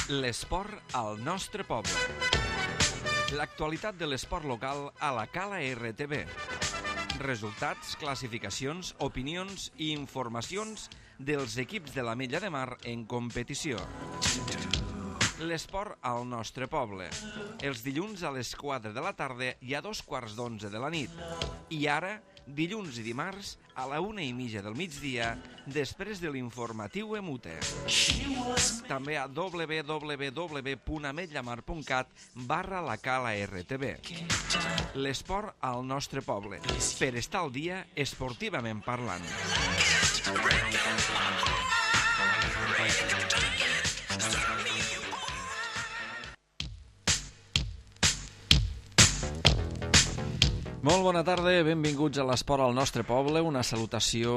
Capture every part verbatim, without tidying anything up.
L'esport al nostre poble. L'actualitat de l'esport local a la Cala R T B. Resultats, classificacions, opinions i informacions dels equips de l'Ametlla de Mar en competició. L'esport al nostre poble. Els dilluns a les quatre de la tarda i a dos quarts d'onze de la nit. I ara, dilluns i dimarts, a la una i mitja del migdia, després de l'informatiu Emute. També a w w w punt ametllamar punt cat barra la Cala R T B. L'esport al nostre poble, per estar al dia esportivament parlant. Molt bona tarda, benvinguts a l'Esport al nostre poble, una salutació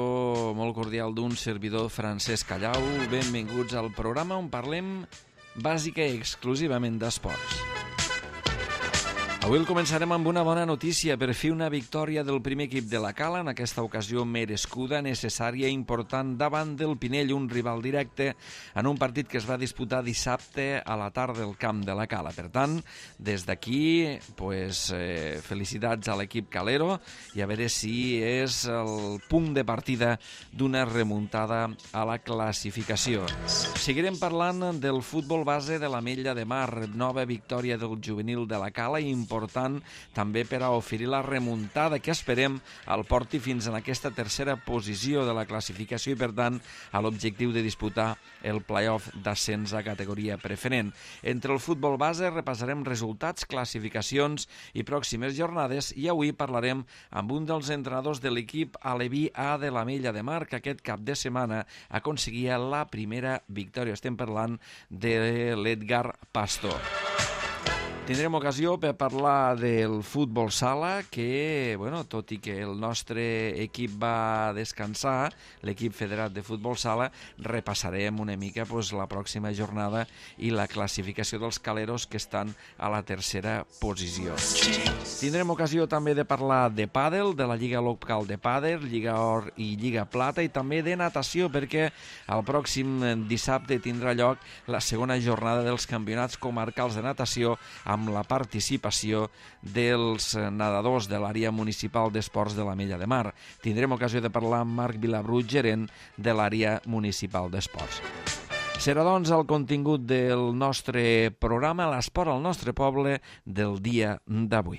molt cordial d'un servidor Francesc Callau. Benvinguts al programa on parlem bàsica i exclusivament d'esports. Avui el començarem amb una bona notícia. Per fi una victòria del primer equip de la Cala, en aquesta ocasió merescuda, necessària i important davant del Pinell, un rival directe en un partit que es va disputar dissabte a la tarda al camp de la Cala. Per tant, des d'aquí, pues, eh, felicitats a l'equip calero i a veure si és el punt de partida d'una remuntada a la classificació. Seguirem parlant del futbol base de l'Ametlla de Mar, nova victòria del juvenil de la Cala i important també per a oferir la remuntada que esperem el porti fins en aquesta tercera posició de la classificació i, per tant, a l'objectiu de disputar el play-off d'ascens a categoria preferent. Entre el futbol base repassarem resultats, classificacions i pròximes jornades i avui parlarem amb un dels entrenadors de l'equip aleví A de l'Ametlla de Mar, que aquest cap de setmana aconseguia la primera victòria. Estem parlant de l'Edgar Pastor. Tindrem ocasió per parlar del futbol sala, que, bueno, tot i que el nostre equip va descansar, l'equip federat de futbol sala, repassarem una mica pues, la pròxima jornada i la classificació dels caleros que estan a la tercera posició. Tindrem ocasió també de parlar de pàdel, de la Lliga Local de Pàdel, Lliga Or i Lliga Plata, i també de natació, perquè el pròxim dissabte tindrà lloc la segona jornada dels campionats comarcals de natació amb la participació dels nedadors de l'àrea municipal d'esports de l'Ametlla de Mar. Tindrem ocasió de parlar amb Marc Vilabrut, gerent de l'àrea municipal d'esports. Serà, doncs, el contingut del nostre programa, l'esport al nostre poble, del dia d'avui.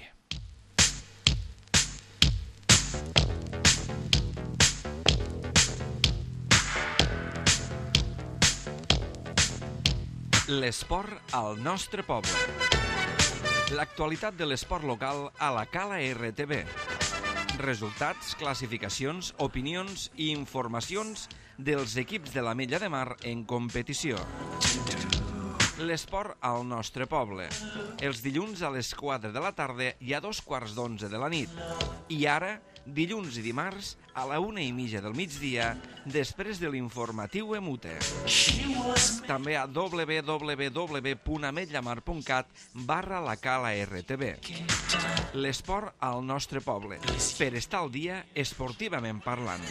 L'esport al nostre poble. L'actualitat de l'esport local a la Cala R T B. Resultats, classificacions, opinions i informacions dels equips de l'Ametlla de Mar en competició. L'esport al nostre poble. Els dilluns a les quatre de la tarda i a dos quarts d'onze de la nit. I ara, dilluns i dimarts, a la una i mitja del migdia, després de l'informatiu Emute. També a w w w punt ametllamar punt cat barra la Cala R T B. L'esport al nostre poble, per estar al dia esportivament parlant.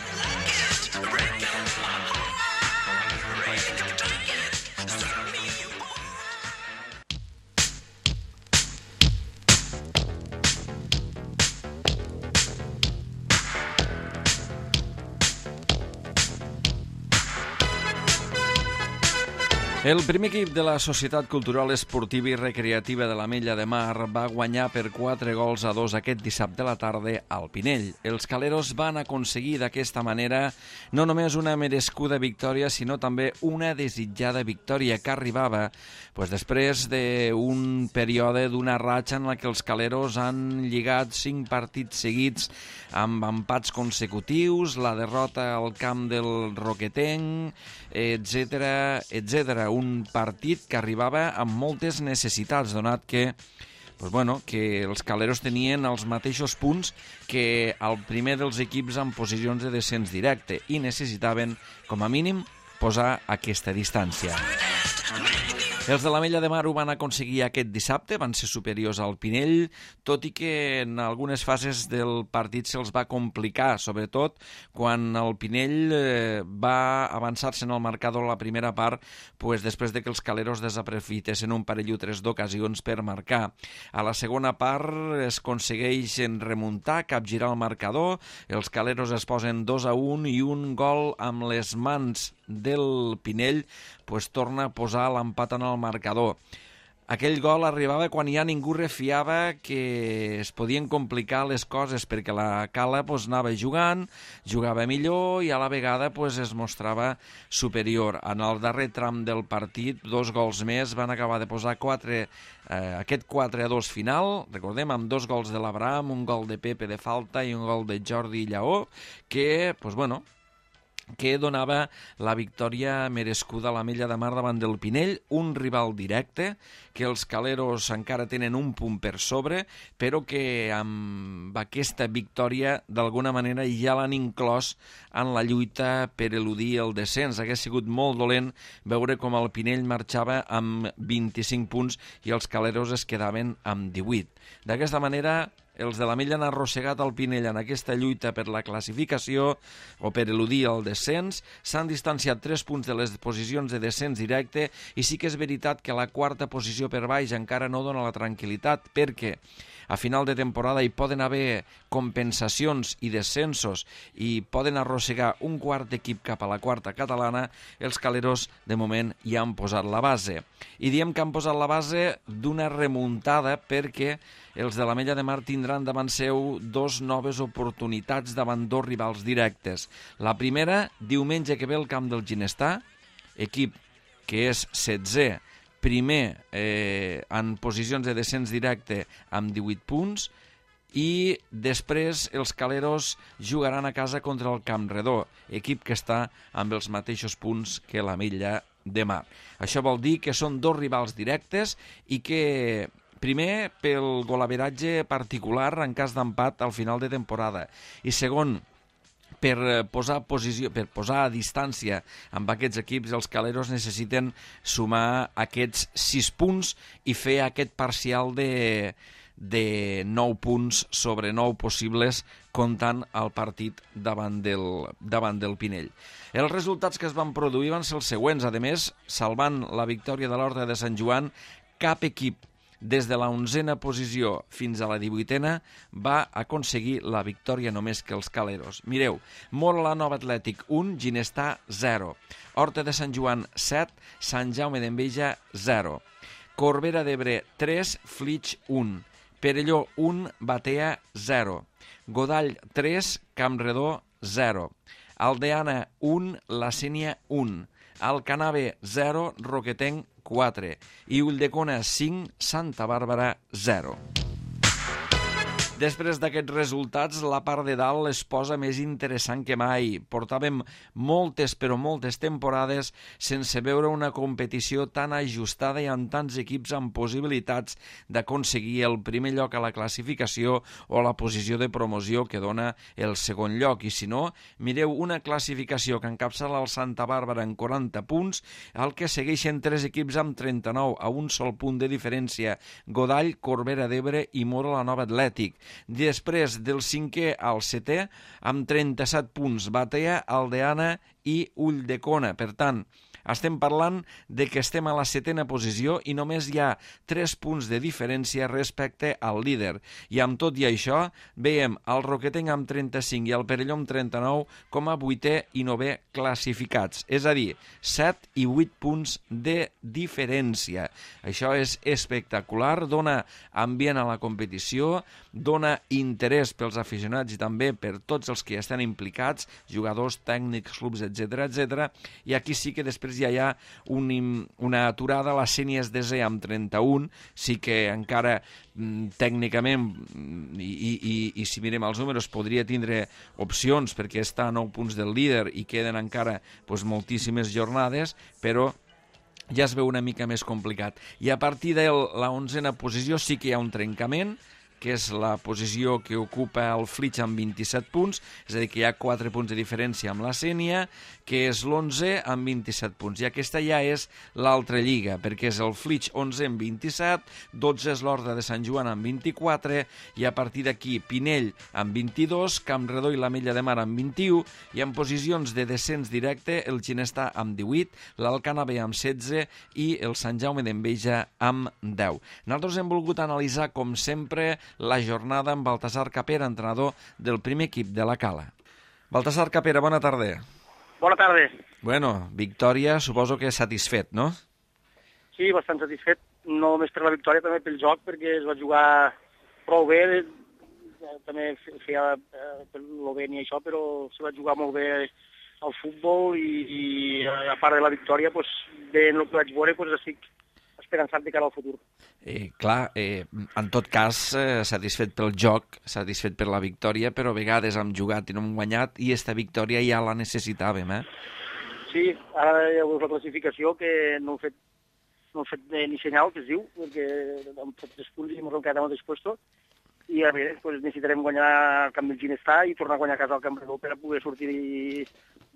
El primer equip de la Societat Cultural Esportiva i Recreativa de l'Ametlla de Mar va guanyar per quatre gols a dos aquest dissabte a la tarda al Pinell. Els caleros van aconseguir d'aquesta manera no només una merescuda victòria, sinó també una desitjada victòria que arribava pues, després d'un període, d'una ratxa en la que els caleros han lligat cinc partits seguits amb empats consecutius, la derrota al camp del Roquetenc, etcètera, etcètera. Un partit que arribava amb moltes necessitats, donat que, pues bueno, que els caleros tenien els mateixos punts que el primer dels equips en posicions de descens directe i necessitaven, com a mínim, posar aquesta distància. Els de l'Ametlla de Mar ho van aconseguir aquest dissabte, van ser superiors al Pinell, tot i que en algunes fases del partit se'ls va complicar, sobretot quan el Pinell eh, va avançar-se en el marcador a la primera part, pues, després de que els caleros desaprofitessin un parell o tres d'ocasions per marcar. A la segona part es aconsegueixen remuntar, capgirar el marcador, els caleros es posen dos a un i un gol amb les mans del Pinell pues, torna a posar l'empat en el marcador. Aquell gol arribava quan ja ningú refiava que es podien complicar les coses perquè la Cala pues, anava jugant, jugava millor i a la vegada pues, es mostrava superior. En el darrer tram del partit, dos gols més van acabar de posar quatre, eh, aquest quatre a dos final, recordem, amb dos gols de l'Abraham, un gol de Pepe de falta i un gol de Jordi Lleó, que, pues, bueno, que donava la victòria merescuda a l'Ametlla de Mar davant del Pinell, un rival directe, que els caleros encara tenen un punt per sobre, però que amb aquesta victòria d'alguna manera ja l'han inclòs en la lluita per eludir el descens. Hauria sigut molt dolent veure com el Pinell marxava amb vint-i-cinc punts i els caleros es quedaven amb divuit. D'aquesta manera, els de l'Ametlla han arrossegat el Pinell en aquesta lluita per la classificació o per eludir el descens, s'han distanciat tres punts de les posicions de descens directe i sí que és veritat que la quarta posició per baix encara no dona la tranquil·litat perquè a final de temporada hi poden haver compensacions i descensos i poden arrossegar un quart equip cap a la quarta catalana, els caleros de moment ja han posat la base. I diem que han posat la base d'una remuntada perquè els de l'Ametlla de Mar tindran davant seu dos noves oportunitats davant dos rivals directes. La primera, diumenge que ve al camp del Ginestar, equip que és setzè, primer eh, en posicions de descens directe amb divuit punts, i després els caleros jugaran a casa contra el Campredó, equip que està amb els mateixos punts que l'Ametlla de Mar. Això vol dir que són dos rivals directes i que, primer, pel golaveratge particular en cas d'empat al final de temporada, i segon, per posar posició, per posar a distància amb aquests equips, els caleros necessiten sumar aquests sis punts i fer aquest parcial de, de nou punts sobre nou possibles comptant el partit davant del, davant del Pinell. Els resultats que es van produir van ser els següents. A més, salvant la victòria de l'Horta de Sant Joan, cap equip des de la onzena posició fins a la divuitena va aconseguir la victòria només que els caleros. Mireu, Móra la Nova Atlètic un, Ginestar zero, Horta de Sant Joan set, Sant Jaume d'Enveja zero, Corbera d'Ebre tres, Flix un, Perelló un, Batea zero, Godall tres, Campredó zero, Aldeana un, La Sénia un, Alcanave zero, Roquetenc quatre i Ulldecona cinc, Santa Bàrbara zero. Després d'aquests resultats, la part de dalt es posa més interessant que mai. Portàvem moltes, però moltes temporades sense veure una competició tan ajustada i amb tants equips amb possibilitats d'aconseguir el primer lloc a la classificació o la posició de promoció que dona el segon lloc. I si no, mireu una classificació que encapçala el Santa Bàrbara en quaranta punts, al que segueixen tres equips amb trenta-nou, a un sol punt de diferència, Godall, Corbera d'Ebre i Móra la Nova Atlètic. Després del cinquè al setè, amb trenta-set punts, Batea, Aldeana i Ulldecona. Per tant, estem parlant de que estem a la setena posició i només hi ha tres punts de diferència respecte al líder. I amb tot i això, veiem el Roquetenc amb trenta-cinc i el Perelló amb trenta-nou com a vuitè i novè classificats. És a dir, set i vuit punts de diferència. Això és espectacular, dona ambient a la competició, dona interès pels aficionats i també per tots els que hi estan implicats, jugadors, tècnics, clubs, etcètera, etcètera. I aquí sí que després ja hi ha un, una aturada, la Sénia és desè amb trenta-un, sí que encara mm, tècnicament, i, i, i si mirem els números, podria tindre opcions perquè està a nou punts del líder i queden encara pues, moltíssimes jornades, però ja es veu una mica més complicat. I a partir de la onzena posició sí que hi ha un trencament, que és la posició que ocupa el Flix amb vint-i-set punts, és a dir, que hi ha quatre punts de diferència amb la Sénia, que és l'onze amb vint-i-set punts. I aquesta ja és l'altra lliga, perquè és el Flix onze amb vint-i-set, dotze és l'Horta de Sant Joan amb vint-i-quatre, i a partir d'aquí Pinell amb vint-i-dos, Campredó i l'Ametlla de Mar amb vint-i-u, i en posicions de descens directe el Ginestà amb divuit, l'Alcana B amb setze i el Sant Jaume d'Enveja amb deu. Nosaltres hem volgut analitzar, com sempre, la jornada amb Baltasar Capera, entrenador del primer equip de la Cala. Baltasar Capera, bona tarda. Bona tarda. Bueno, victòria, suposo que satisfet, no? Sí, bastant satisfet, no només per la victòria, també pel joc, perquè es va jugar prou bé, també feia per l'Oveni i això, però se va jugar molt bé al futbol i, i a part de la victòria, doncs, bé, en el que vaig veure, doncs, estic esperançat de cara al futur. Eh, clar, eh, en tot cas, eh, satisfet pel joc, satisfet per la victòria, però a vegades hem jugat i no hem guanyat i esta victòria ja la necessitàvem, eh? Sí, ara ja veus la classificació, que no hem fet, no hem fet ni senyal, que es diu, perquè hem fet tres punts i ens hem quedat al mateix puesto, i a veure, doncs necessitarem guanyar el camp del Ginestà i tornar a guanyar a casa al Campredó per a poder sortir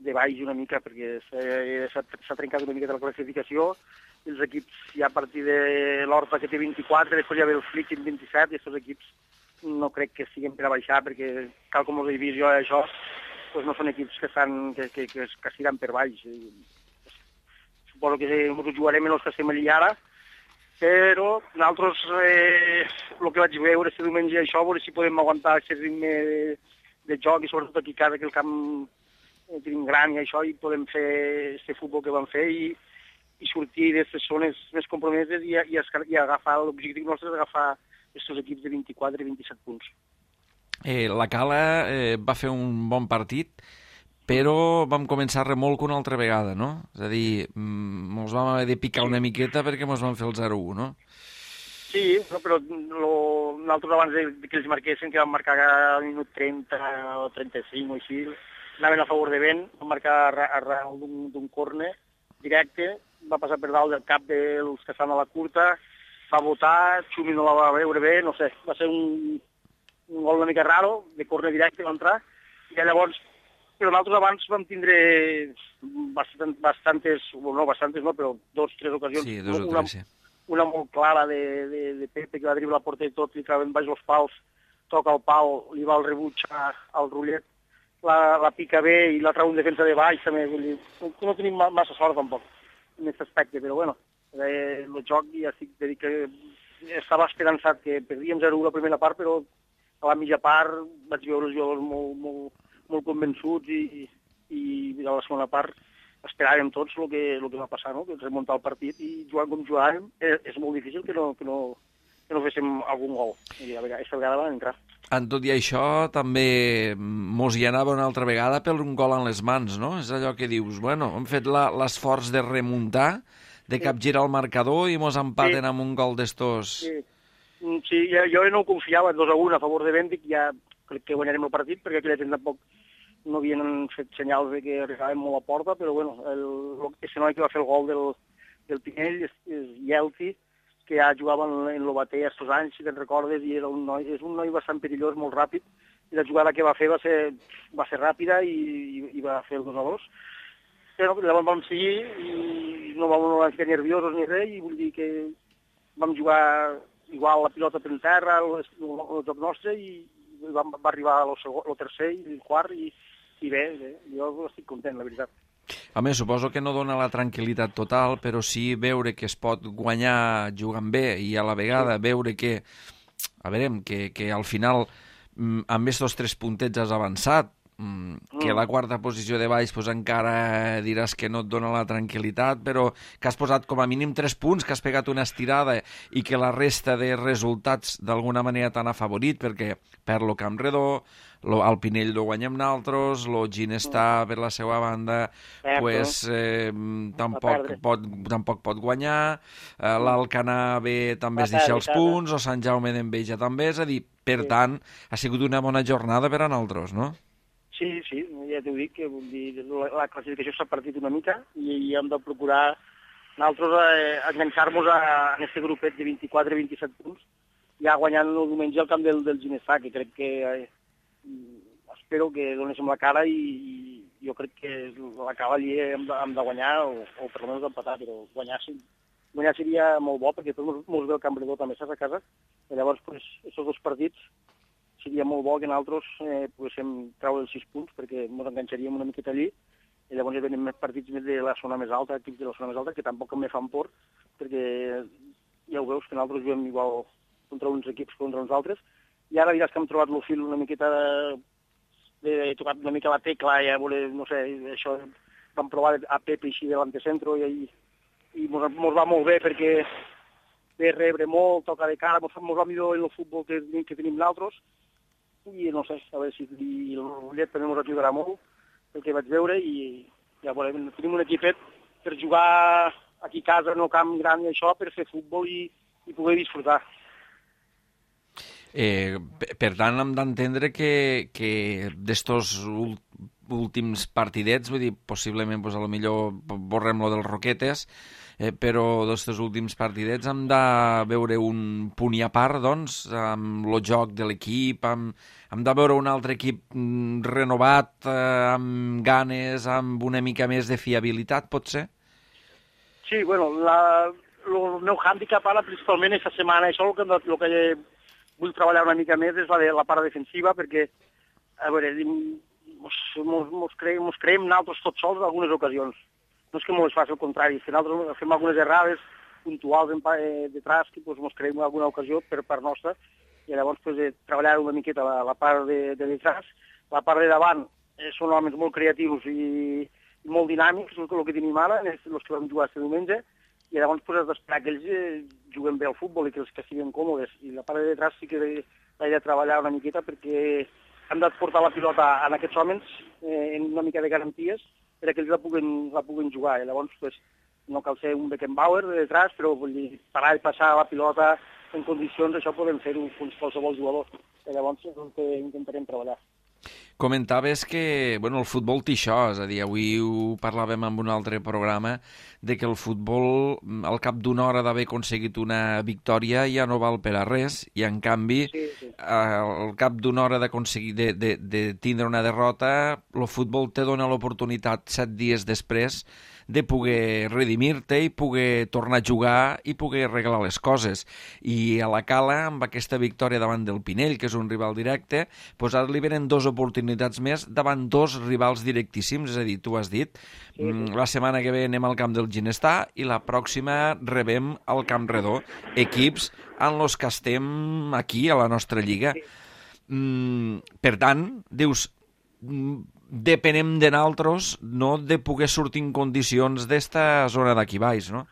de baix una mica, perquè s'ha trencat una mica de la classificació. Els equips, ja a partir de l'Horta, que té vint-i-quatre, després ja ve el Flix amb vint-i-set, i aquests equips no crec que siguin per a baixar, perquè, tal com els he vist jo, això, doncs no són equips que estan, que, que, que, que estiran per baix. Suposo que ens ho jugarem en els que estem allà ara, però nosaltres, eh, el que vaig veure este diumenge, això, a veure si podem aguantar aquest ritme de, de joc, i sobretot aquí a casa, que el camp eh, tenim gran i això, i podem fer aquest futbol que vam fer, i, i sortir d'aquestes zones més compromeses i, i, i agafar, l'objectiu nostre és agafar aquests equips de vint-i-quatre i vint-i-set punts. Eh, la Cala eh, va fer un bon partit, però vam començar remolc una altra vegada, no? És a dir, ens vam haver de picar una miqueta perquè ens vam fer el zero u, no? Sí, no, però lo, nosaltres abans de, de que els marquessin, que vam marcar al minut trenta o trenta-cinc o així, anaven a favor de vent, vam marcar arrel d'un córner directe, va passar per dalt del cap dels que estan a la curta, va votar, Xumi no la va veure bé, no sé, va ser un, un gol una mica raro, de córner directe va entrar, i llavors, però nosaltres abans vam tindre bastant, bastantes, no bastantes no, però dos, tres ocasions. Sí, dos o una, tres, sí. Una molt clara de, de, de Pepe, que va driblar la porta i tot, li traven baix els pals, toca el pal, li va el rebuig al Rullet, la, la pica bé i la trau en defensa de baix, també, vull dir, no, no tenim massa sort tampoc en aquest aspecte, però bueno, eh, el joc ja estic de dir que estava esperançat que perdíem zero u la primera part, però a la mitja part vaig veure els jugadors molt, molt, molt convençuts i, i a la segona part esperàvem tots el que, el que va passar, no? Que remuntar el partit i jugant com jugàvem és, és molt difícil que no, que no, que no féssim algun gol. I a vegada, aquesta vegada van entrar. En tot i això, també mos hi anava una altra vegada per un gol en les mans, no? És allò que dius, bueno, hem fet l'esforç de remuntar, de capgirar el marcador i mos empaten sí. amb un gol d'estos. Sí, sí jo, jo no confiava dos a un a favor de Bèndic, ja crec que guanyarem el partit, perquè aquell temps tampoc no havien fet senyals de que arribàvem molt a porta, però bueno, el, el noi que va fer el gol del, del Pinell és, és Yelti, que ja jugava en, en l'Obater estos anys, si te'n recordes, i era un noi, és un noi bastant perillós, molt ràpid, i la jugada que va fer va ser, va ser ràpida i, i, i va fer el dos a dos. Però llavors vam seguir i no vam, no vam fer nerviosos ni res, i vull dir que vam jugar igual la pilota per terra, el, el, el joc nostre, i vam, va arribar el tercer i el quart, i, i bé, bé, jo estic content, la veritat. Home, suposo que no dona la tranquil·litat total, però sí veure que es pot guanyar jugant bé i a la vegada sí. veure que, a veure, que, que al final amb aquests tres puntets has avançat, que la quarta posició de baix pues, encara diràs que no et dona la tranquil·litat, però que has posat com a mínim tres punts, que has pegat una estirada i que la resta de resultats d'alguna manera t'han afavorit, perquè per lo Campredó, lo, el Pinell lo guanyem naltros, lo Ginestà per la seva banda pues, eh, tampoc, pot, tampoc pot guanyar, eh, l'Alcanar B també es deixa els punts, o Sant Jaume d'Enveja també, és a dir, per tant, ha sigut una bona jornada per a naltros, no? Sí, sí, ja t'ho dic, que vull dir, la, la classificació s'ha partit una mica i, i hem de procurar nosaltres eh, enganxar-nos a, a aquest grupet de vint-i-quatre a vint-i-set punts ja guanyant el diumenge al camp del, del Ginestà, que crec que eh, espero que donéssim la cara i, i jo crec que la cala allí hem de, hem de guanyar o, o per almenys empatar, però guanyar, guanyar seria molt bo perquè tot ens ve el Campredó també estàs a casa i llavors pues, aquests dos partits seria molt bo que nosaltres eh, poguéssim treure els sis punts perquè ens enganxaríem una miqueta allí i llavors ja venen més partits més de la zona més alta, equips de la zona més alta, que tampoc me fan por perquè ja ho veus que nosaltres juguem igual contra uns equips contra uns altres, i ara diràs que hem trobat el fil una miqueta, de, he tocat una mica la tecla, ja veure, no sé, això vam provar a Pepe així de l'antecentro i, i mos, mos va molt bé perquè ve rebre molt, toca de cara, mos, mos va millor en el futbol que, que tenim nosaltres, i no sé, a veure si el Llet també ens ajudarà molt, el que vaig veure, i ja veurem, tenim un equipet per jugar aquí a casa, en el camp gran i això, per fer futbol i, i poder disfrutar. Eh, per tant, hem d'entendre que, que d'estos últims partidets, vull dir, possiblement, pues, a lo millor borrem lo dels Roquetes, eh, però d'estos últims partidets hem de veure un punt i a part, doncs, amb el joc de l'equip, amb, hem de veure un altre equip renovat, eh, amb ganes, amb una mica més de fiabilitat, pot ser? Sí, bueno, la, el meu hàndicap ara, principalment, aquesta setmana, això el que, el que vull treballar una mica més és la, de, la part defensiva, perquè, a veure, mos, mos, mos, creiem, mos creiem nosaltres tots sols en algunes ocasions. No és que mos faci el contrari, és que nosaltres fem algunes errades puntuals en, eh, detrás que pues, mos creiem en alguna ocasió per part nostra, i llavors pues, eh, treballar una miqueta la, la part de, de detrás. La part de davant eh, són homes molt creatius i, i molt dinàmics, el, el que tenim ara, els que vam jugar aquest diumenge, i llavors pues, has d'esperar que ells eh, juguen bé al futbol i que els que estiguin còmodes. I la part de detrás sí que l'he de treballar una miqueta perquè hem de portar la pilota a aquests homes eh, en una mica de garanties perquè ells la puguen, la puguen jugar. I llavors pues, no cal ser un Beckenbauer de detrás, però vull dir, parar i passar la pilota en condicions, això podem fer-ho amb qualsevol jugador. I llavors és el que intentarem treballar. Comentaves que bueno, el futbol té això, és a dir, avui ho parlàvem en un altre programa, de que el futbol, al cap d'una hora d'haver aconseguit una victòria, ja no val per a res, i en canvi, sí, sí. al cap d'una hora d'aconseguir de, de, de tindre una derrota, el futbol te dona l'oportunitat set dies després de poder redimir-te i poder tornar a jugar i poder arreglar les coses. I a la Cala, amb aquesta victòria davant del Pinell, que és un rival directe, doncs ara li venen dues oportunitats més davant dos rivals directíssims, és a dir, tu has dit, sí, sí. La setmana que ve anem al camp del Ginestà i la pròxima rebem al Camp Redó, equips en els que estem aquí, a la nostra lliga. Sí. Mm, per tant, dius, depenem de nosaltres, no de poder sortir en condicions d'esta zona d'aquí baix, no?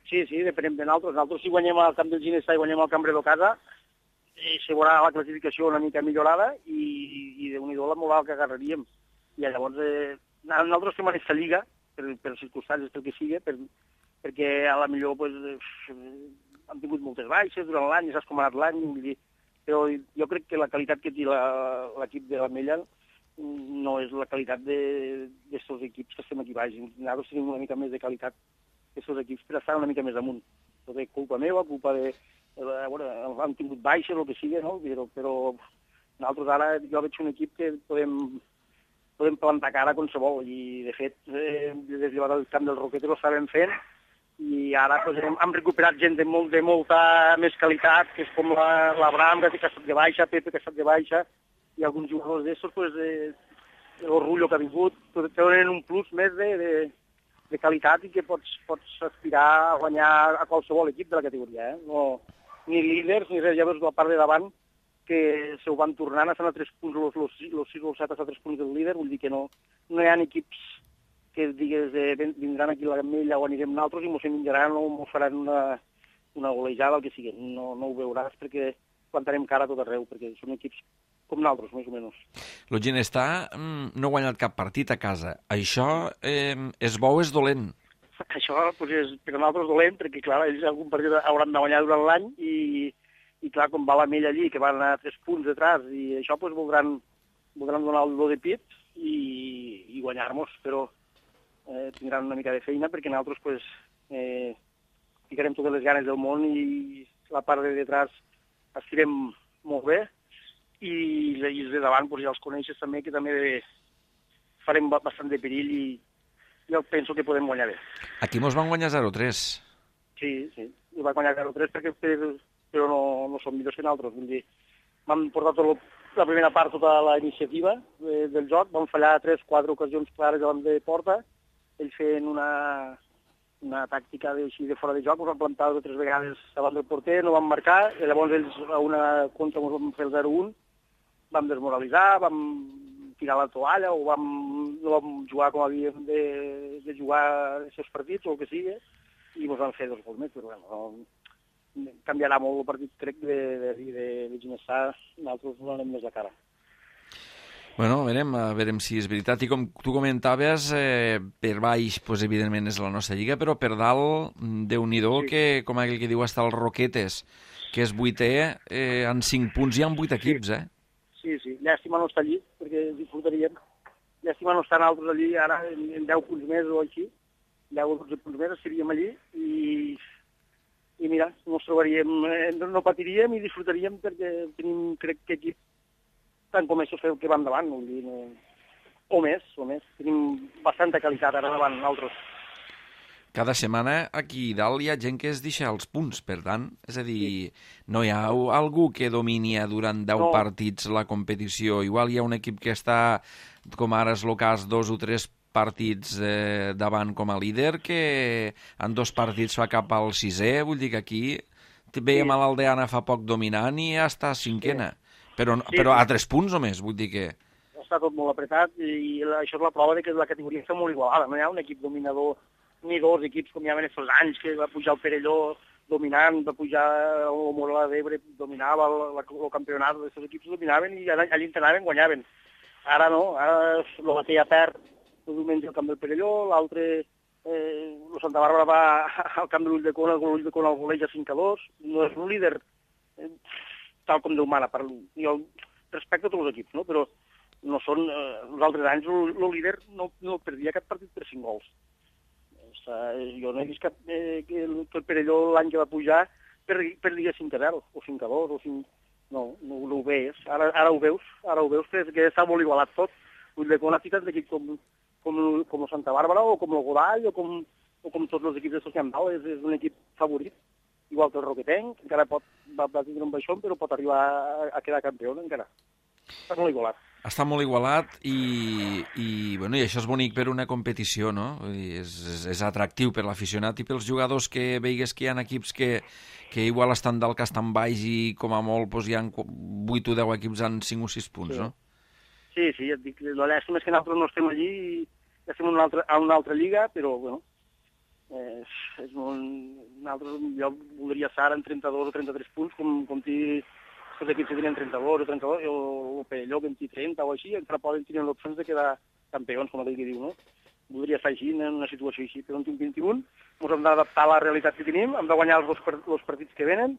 Sí, sí, depenem de nosaltres. Nosaltres si guanyem al camp del Ginestà i guanyem al Camp Redó casa, eh, se veurà la classificació una mica millorada i, i déu-n'hi-do la moral que agarraríem. I llavors, eh, nosaltres fem aquesta lliga, per, per circumstàncies, pel que sigui, per, perquè a la millor pues, eh, hem tingut moltes baixes durant l'any, ja saps com ha anat l'any, però jo crec que la qualitat que té l'equip de l'Ametlla no és la qualitat d'aquests equips que estem aquí baix. Nosaltres tenim una mica més de qualitat d'aquests equips per estar una mica més amunt. Tot és culpa meva, culpa de... de bueno, han tingut baixes o el que sigui, no? Però, però nosaltres ara jo veig un equip que podem, podem plantar cara a qualsevol i de fet eh, des del camp del Roquetes ho estàvem fent i ara pues, hem, hem recuperat gent de, molt, de molta més qualitat, que és com l'Abraham, que ha estat de baixa, Pepe, que ha estat de baixa, i alguns jugadors d'estos, pues, eh, l'Orgullo que ha vingut, tenen un plus més de, de, de qualitat i que pots, pots aspirar a guanyar a qualsevol equip de la categoria. Eh? No, ni líders, ni res, ja veus la part de davant, que se ho van tornant, estan a tres punts, els sis o els set a tres punts del líder, vull dir que no, no hi ha equips que digues eh, vindran aquí a la Gamella o anirem nosaltres i mos envinjaran o mos faran una, una golejada, el que sigui. No, no ho veuràs perquè plantarem cara a tot arreu, perquè són equips com nosaltres, més o menys. El Ginestà mm, no ha guanyat cap partit a casa. Això eh, és bo o és dolent? Això pues, és per a nosaltres dolent, perquè clar, ells algun partit hauran de guanyar durant l'any i, i clar, com va l'Ametlla allí, que van a tres punts detrás, i això pues, voldran, voldran donar el do de pit i, i guanyar-nos, però eh, tindran una mica de feina, perquè nosaltres pues, eh, ficarem totes les ganes del món i la part de detrás estirem molt bé, i, i els de davant doncs, ja els coneixes també, que també farem bastant de perill i jo penso que podem guanyar bé. Aquí mos van guanyar zero tres. Sí, sí, i va guanyar zero tres perquè per, però no, no som millors que nosaltres. Vull dir, vam portar tot, la primera part tota la iniciativa de, del joc, vam fallar tres, quatre ocasions clares davant de porta, ells feien una, una tàctica de, així de fora de joc, ens van plantar tres vegades davant del porter, no van marcar, i llavors ells a una contra ens van fer el zero un, vam desmoralitzar, vam tirar la toalla o vam, no vam jugar com havíem de, de jugar aquests partits o el que sigui, i ens van fer dos gols més, però bueno, no, canviarà molt el partit, crec, de, de, de, de Ginestar, nosaltres no anem més la cara. Bueno, verem, verem si és veritat. I com tu comentaves, eh, per baix, pues, evidentment, és la nostra lliga, però per dalt, Déu-n'hi-do, sí. Que, com aquell que diu, està el Roquetes, que és vuitè, eh, en cinc punts hi ha vuit equips, eh? Sí, sí, llàstima no estar allí, perquè disfrutaríem. Llàstima no estar nosaltres allí, ara en, en deu punts més o així, deu o dotze punts més estaríem allí, i, i mira, no ens trobaríem, eh, no patiríem i disfrutaríem perquè tenim, crec que equip, tant com això que van davant, no, dir, no, o més, o més. Tenim bastanta qualitat ara davant nosaltres. Cada setmana aquí dalt hi ha gent que es deixa els punts, per tant, és a dir, no hi ha algú que domini durant deu no. partits la competició. Igual hi ha un equip que està, com ara és el cas, dos o tres partits eh, davant com a líder, que en dos partits fa cap al sisè, vull dir que aquí veiem sí. a l'Aldeana fa poc dominant i ja està cinquena. Sí. Però, sí, però a tres punts només, vull dir que... Està tot molt apretat i això és la prova de que la categoria està molt igualada. No hi ha un equip dominador ni dos equips com hi havia aquests anys, que va pujar el Perelló dominant, va pujar el Mola d'Ebre, dominava el, el campionat, aquests equips dominaven i allà entrenaven, guanyaven. Ara no, ara el Batea perd el diumenge al camp del Perelló, l'altre, eh, el Santa Bàrbara va al camp de l'Ulldecona, l'Ull de Cona el goleja cinc a dos, no és un líder eh, tal com Déu mana, per, jo respecto a tots els equips, no? Però no són, eh, els altres anys el, el líder no, no perdia cap partit per cinc gols. Jo no he vist cap, eh, que el, el Perelló l'any que va pujar perdia cinc a zero, o cinc a dos, o cinc... No, no, no ho veus. Ara, ara ho veus, ara ho veus, que, que està molt igualat tot. L'Ulldecona ha ficat d'equip com, com, com el Santa Bàrbara, o com el Godall, o com, o com tots els equips de Sociambal, és, és un equip favorit. Igual que el Roquetenc, encara pot, va, va tindre un baixón, però pot arribar a, a quedar campió, encara. Està molt igualat. Està molt igualat i, i, bueno, i això és bonic per una competició, no? Vull dir, és, és, és atractiu per l'aficionat i pels jugadors que veigues que hi ha equips que, que igual estan dalt, que estan baix i com a molt doncs, hi ha vuit o deu equips en cinc o sis punts, sí. no? Sí, sí, et dic, la llàstima és que nosaltres no estem allí i estem en una altra, en una altra lliga, però, bueno, eh, és un, nosaltres, jo voldria estar en trenta-dos o trenta-tres punts, com, com ti... els equips que tenen trenta-dos o trenta-dos, o el Perelló vint i trenta o així, encara poden tenir l'opció de quedar campions, com aquell que diu, no? Voldria estar així, en una situació així, però en tinc vint-i-un, ens hem d'adaptar a la realitat que tenim, hem de guanyar els dos els partits que venen,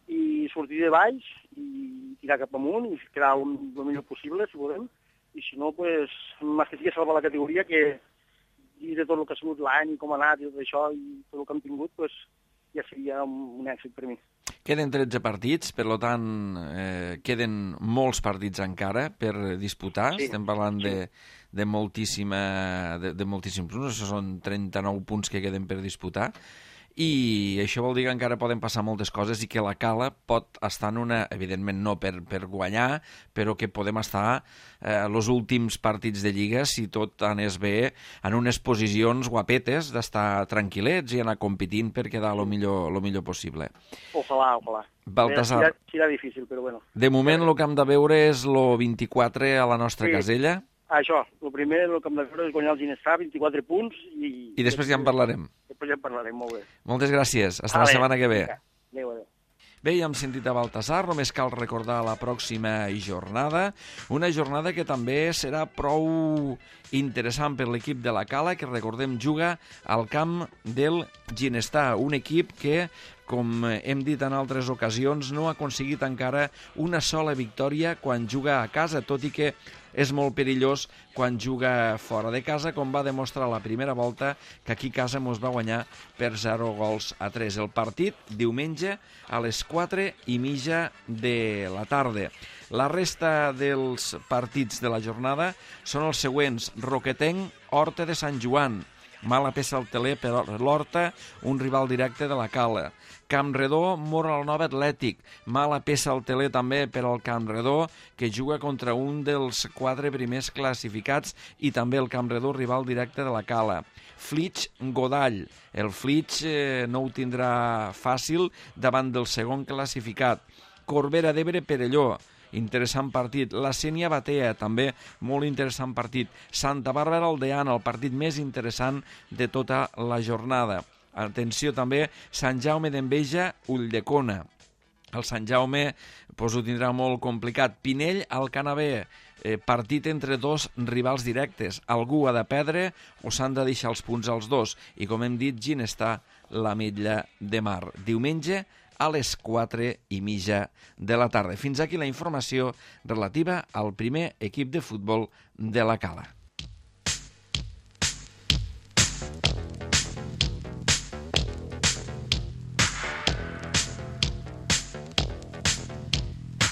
i sortir de baix, i tirar cap amunt, i quedar un, el millor possible, si volem, i si no, doncs, més que sigui salvar la categoria, que i de tot el que ha sigut l'any, i com ha anat, i tot això, i tot el que hem tingut, doncs, ja seria un, un èxit per mi. Queden tretze partits, per tant, eh, queden molts partits encara per disputar. Sí. Estem parlant sí. de, de, moltíssima, de, de moltíssims punts, això són trenta-nou punts que queden per disputar. I això vol dir que encara poden passar moltes coses i que la Cala pot estar en una, evidentment no per, per guanyar, però que podem estar eh, els últims partits de Lliga, si tot anés bé, en unes posicions guapetes d'estar tranquil·lets i anar competint per quedar el millor, lo millor possible. Ojalà, ojalà. Baltasar, serà, serà difícil, però bueno. De moment el que hem de veure és el vint-i-quatre a la nostra sí. casella. Això, el primer el que hem de veure és guanyar el Ginestar, vint-i-quatre punts. I, I després ja en parlarem. Després ja en parlarem, molt bé. Moltes gràcies. Fins la setmana que ve. Adéu, adéu. Bé, ja hem sentit a Baltasar, només cal recordar la pròxima jornada, una jornada que també serà prou interessant per l'equip de la Cala, que recordem juga al camp del Ginestar, un equip que com hem dit en altres ocasions, no ha aconseguit encara una sola victòria quan juga a casa, tot i que és molt perillós quan juga fora de casa, com va demostrar la primera volta, que aquí a casa mos va guanyar per zero gols a tres. El partit, diumenge, a les quatre i mitja de la tarda. La resta dels partits de la jornada són els següents: Roquetenc, Horta de Sant Joan. Mala peça al teler per l'Horta, un rival directe de la Cala. Campredó, Moralanova Atlètic. Mala peça al teler també per al Campredó, que juga contra un dels quatre primers classificats, i també el Campredó, rival directe de la Cala. Flix, Godall. El Flix eh, no ho tindrà fàcil davant del segon classificat. Corbera d'Ebre, Perelló. Interessant partit. La Sénia Batea, també molt interessant partit. Santa Bàrbara Aldeana, el partit més interessant de tota la jornada. Atenció també, Sant Jaume d'Enveja, Ulldecona. El Sant Jaume pues, ho tindrà molt complicat. Pinell, Alcanavè, eh, partit entre dos rivals directes. Algú ha de perdre o s'han de deixar els punts als dos. I com hem dit, Ginestar, l'Ametlla de Mar. Diumenge, a les quatre i mitja de la tarda. Fins aquí la informació relativa al primer equip de futbol de la Cala.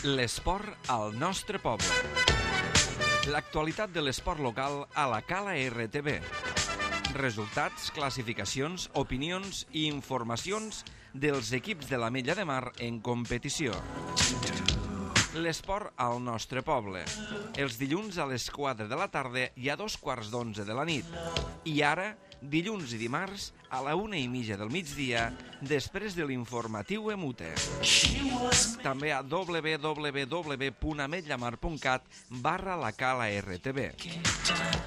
L'esport al nostre poble. L'actualitat de l'esport local a la Cala R T V. Resultats, classificacions, opinions i informacions dels equips de l'Ametlla de Mar en competició. L'esport al nostre poble. Els dilluns a les quatre de la tarda i a dos quarts d'onze de la nit. I ara, dilluns i dimarts, a la una i mitja del migdia, després de l'informatiu Emute. També a w w w punt ametllamar punt cat barra la Cala R T V.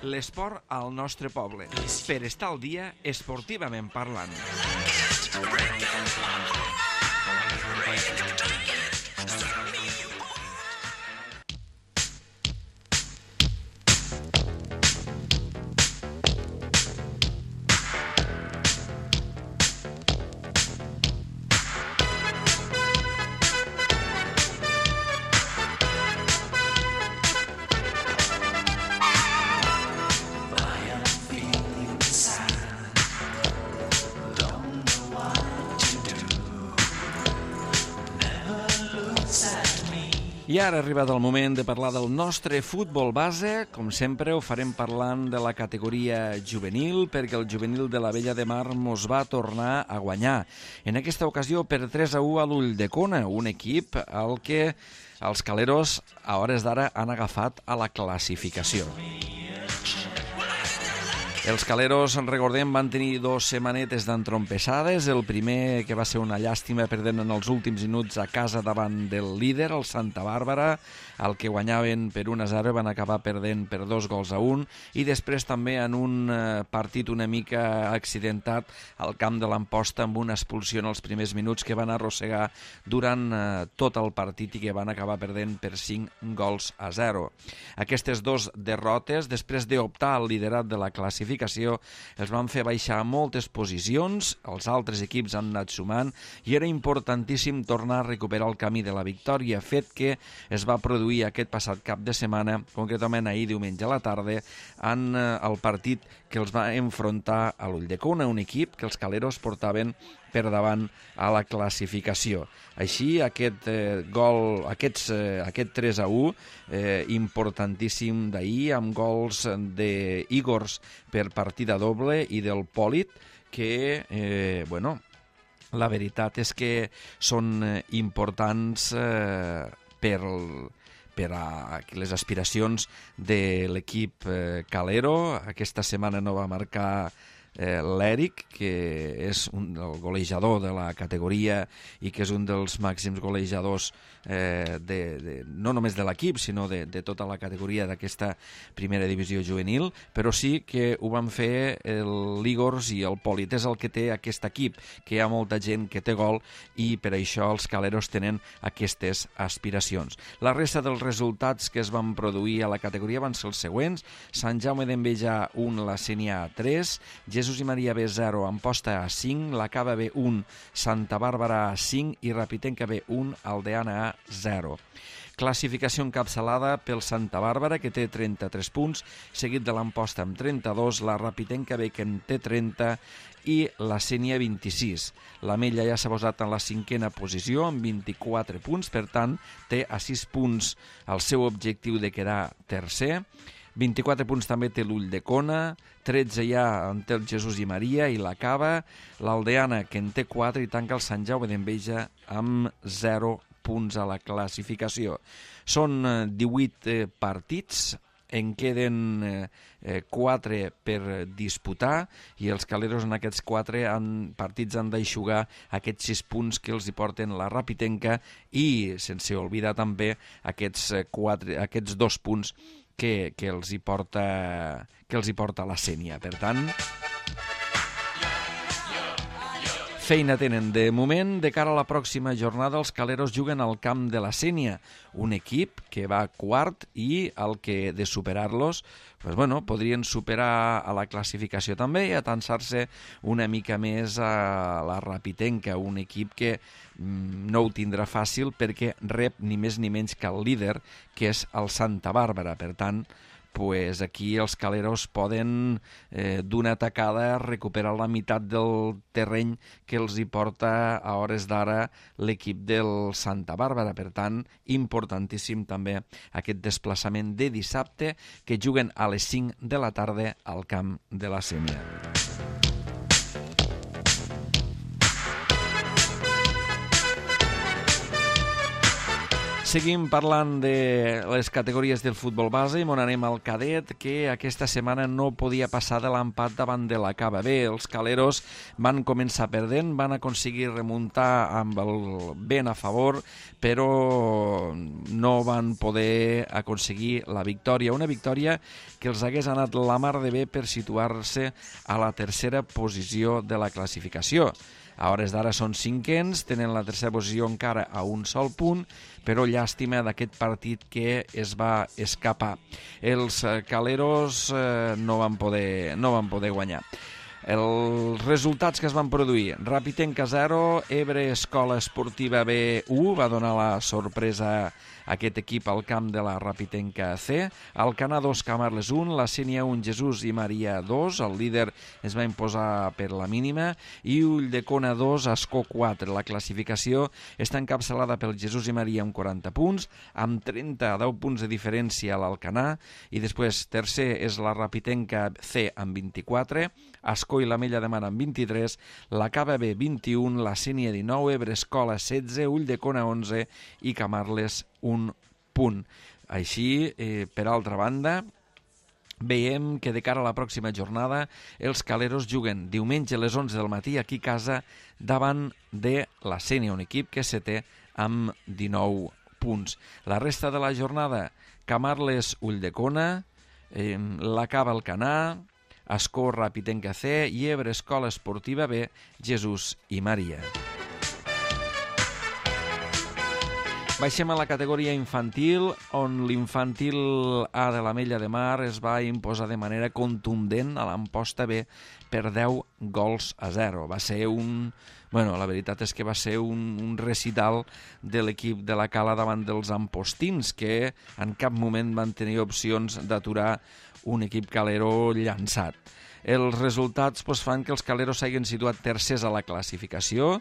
L'esport al nostre poble. Per estar al dia, esportivament parlant. I ara ha arribat el moment de parlar del nostre futbol base. Com sempre, ho farem parlant de la categoria juvenil, perquè el juvenil de l'Abella de Mar mos va tornar a guanyar. En aquesta ocasió per tres a u a l'Ulldecona, un equip al que els caleros a hores d'ara han agafat a la classificació. Els caleros, recordem, van tenir dos setmanetes d'entrompessades. El primer, que va ser una llàstima, perdent en els últims minuts a casa davant del líder, el Santa Bàrbara, el que guanyaven per un a zero, van acabar perdent per dos gols a un, i després també en un partit una mica accidentat al camp de l'Amposta, amb una expulsió en els primers minuts que van arrossegar durant tot el partit i que van acabar perdent per cinc gols a zero. Aquestes dues derrotes, després d'optar al liderat de la classificació, els van fer baixar moltes posicions, els altres equips han anat sumant i era importantíssim tornar a recuperar el camí de la victòria, fet que es va produir aquest passat cap de setmana, concretament ahir diumenge a la tarda, en el partit que els va enfrontar a l'Ulldecona, un equip que els caleros portaven per davant a la classificació. Així, aquest eh, gol, aquests, eh, aquest tres a u, eh, importantíssim d'ahir, amb gols d'Igors per partida doble i del Pòlit, que, eh, bueno, la veritat és que són importants eh, per per a les aspiracions de l'equip eh, calero. Aquesta setmana no va marcar eh, l'Eric, que és un, el golejador de la categoria i que és un dels màxims golejadors eh, de, de, no només de l'equip, sinó de, de tota la categoria d'aquesta primera divisió juvenil, però sí que ho van fer l'Igors i el Pòlit. És el que té aquest equip, que hi ha molta gent que té gol i per això els caleros tenen aquestes aspiracions. La resta dels resultats que es van produir a la categoria van ser els següents: Sant Jaume d'Enveja un, la Sénia tres, Jesús i Maria B zero, Amposta A cinc, la Cava B un, Santa Bàrbara A cinc i Rapitenca B un, Aldeana A zero. Classificació encapçalada pel Santa Bàrbara, que té trenta-tres punts, seguit de l'Amposta amb trenta-dos, la Rapitenca B, que en té trenta, i la Sénia vint-i-sis. L'Ametlla ja s'ha posat en la cinquena posició amb vint-i-quatre punts, per tant, té a sis punts el seu objectiu de quedar tercer. vint-i-quatre punts també té l'Ulldecona, tretze ja en té el Jesús i Maria i la Cava, l'Aldeana, que en té quatre, i tanca el Sant Jaume d'Enveja amb zero punts a la classificació. Són divuit eh, partits, en queden eh, quatre per disputar i els caleros en aquests quatre han, partits han d'aixugar aquests sis punts que els hi porten la Rapitenca i, sense oblidar també, aquests, quatre, aquests dos punts que, que, els hi porta, que els hi porta la Sénia. Per tant, feina tenen. De moment, de cara a la pròxima jornada, els caleros juguen al camp de la Sénia, un equip que va quart i el que, de superar-los, pues bueno, podrien superar a la classificació també i atansar-se una mica més a la Rapitenca, un equip que mm, no ho tindrà fàcil perquè rep ni més ni menys que el líder, que és el Santa Bàrbara. Per tant, pues aquí els caleros poden eh, d'una tacada recuperar la meitat del terreny que els hi porta a hores d'ara l'equip del Santa Bàrbara. Per tant, importantíssim també aquest desplaçament de dissabte, que juguen a les cinc de la tarda al camp de la Sénia. Seguim parlant de les categories del futbol base i on anem al cadet, que aquesta setmana no podia passar de l'empat davant de la Cava. Bé, els caleros van començar perdent, van aconseguir remuntar amb el vent a favor, però no van poder aconseguir la victòria. Una victòria que els hagués anat la mar de bé per situar-se a la tercera posició de la classificació. A hores d'ara són cinquens, tenen la tercera posició encara a un sol punt, però llàstima d'aquest partit que es va escapar. Els caleros eh, no van poder, no van poder guanyar. Els resultats que es van produir: Rapitenca zero, Ebre Escola Esportiva B u, va donar la sorpresa a aquest equip al camp de la Rapitenca C, Alcanar dos, Camarles un, la Sénia un, Jesús i Maria dos, el líder es va imposar per la mínima, i Ulldecona dos, Ascó quatre. La classificació està encapçalada pel Jesús i Maria amb quaranta punts, amb trenta, deu punts de diferència a l'Alcanar, i després tercer és la Rapitenca C amb vint-i-quatre, Ascó i l'Ametlla de Mar amb vint-i-tres, la Cava B vint-i-un, la Sénia dinou, Ebre Escola setze, Ulldecona onze i Camarles un punt. Així, eh, per altra banda, veiem que de cara a la pròxima jornada els caleros juguen diumenge a les onze del matí aquí a casa davant de la Sénia, un equip que se té amb dinou punts. La resta de la jornada: Camarles Ulldecona, eh, la Cava Alcanar, Ascó Rapitenca C i Ebre Escola Esportiva B, Jesús i Maria. Baixem a la categoria infantil, on l'infantil A de l'Ametlla de Mar es va imposar de manera contundent a l'Amposta B per deu gols a zero. Va ser un... Bueno, la veritat és que va ser un, un recital de l'equip de la Cala davant dels ampostins, que en cap moment van tenir opcions d'aturar un equip calero llançat. Els resultats pues, fan que els caleros s'hagin situat tercers a la classificació,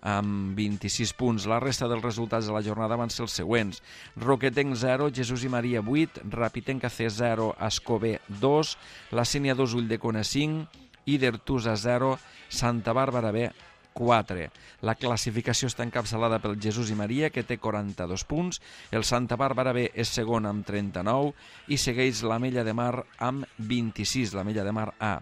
amb vint-i-sis punts. La resta dels resultats de la jornada van ser els següents: Roquetenc zero, Jesús i Maria vuit, Rapitenca C zero, Ascó B dos, la Sénia dos, Ulldecona cinc, Idertusa zero, Santa Bàrbara B quatre. La classificació està encapçalada pel Jesús i Maria, que té quaranta-dos punts, el Santa Bàrbara B és segon amb trenta-nou i segueix l'Ametlla de Mar amb vint-i-sis, l'Ametlla de Mar A.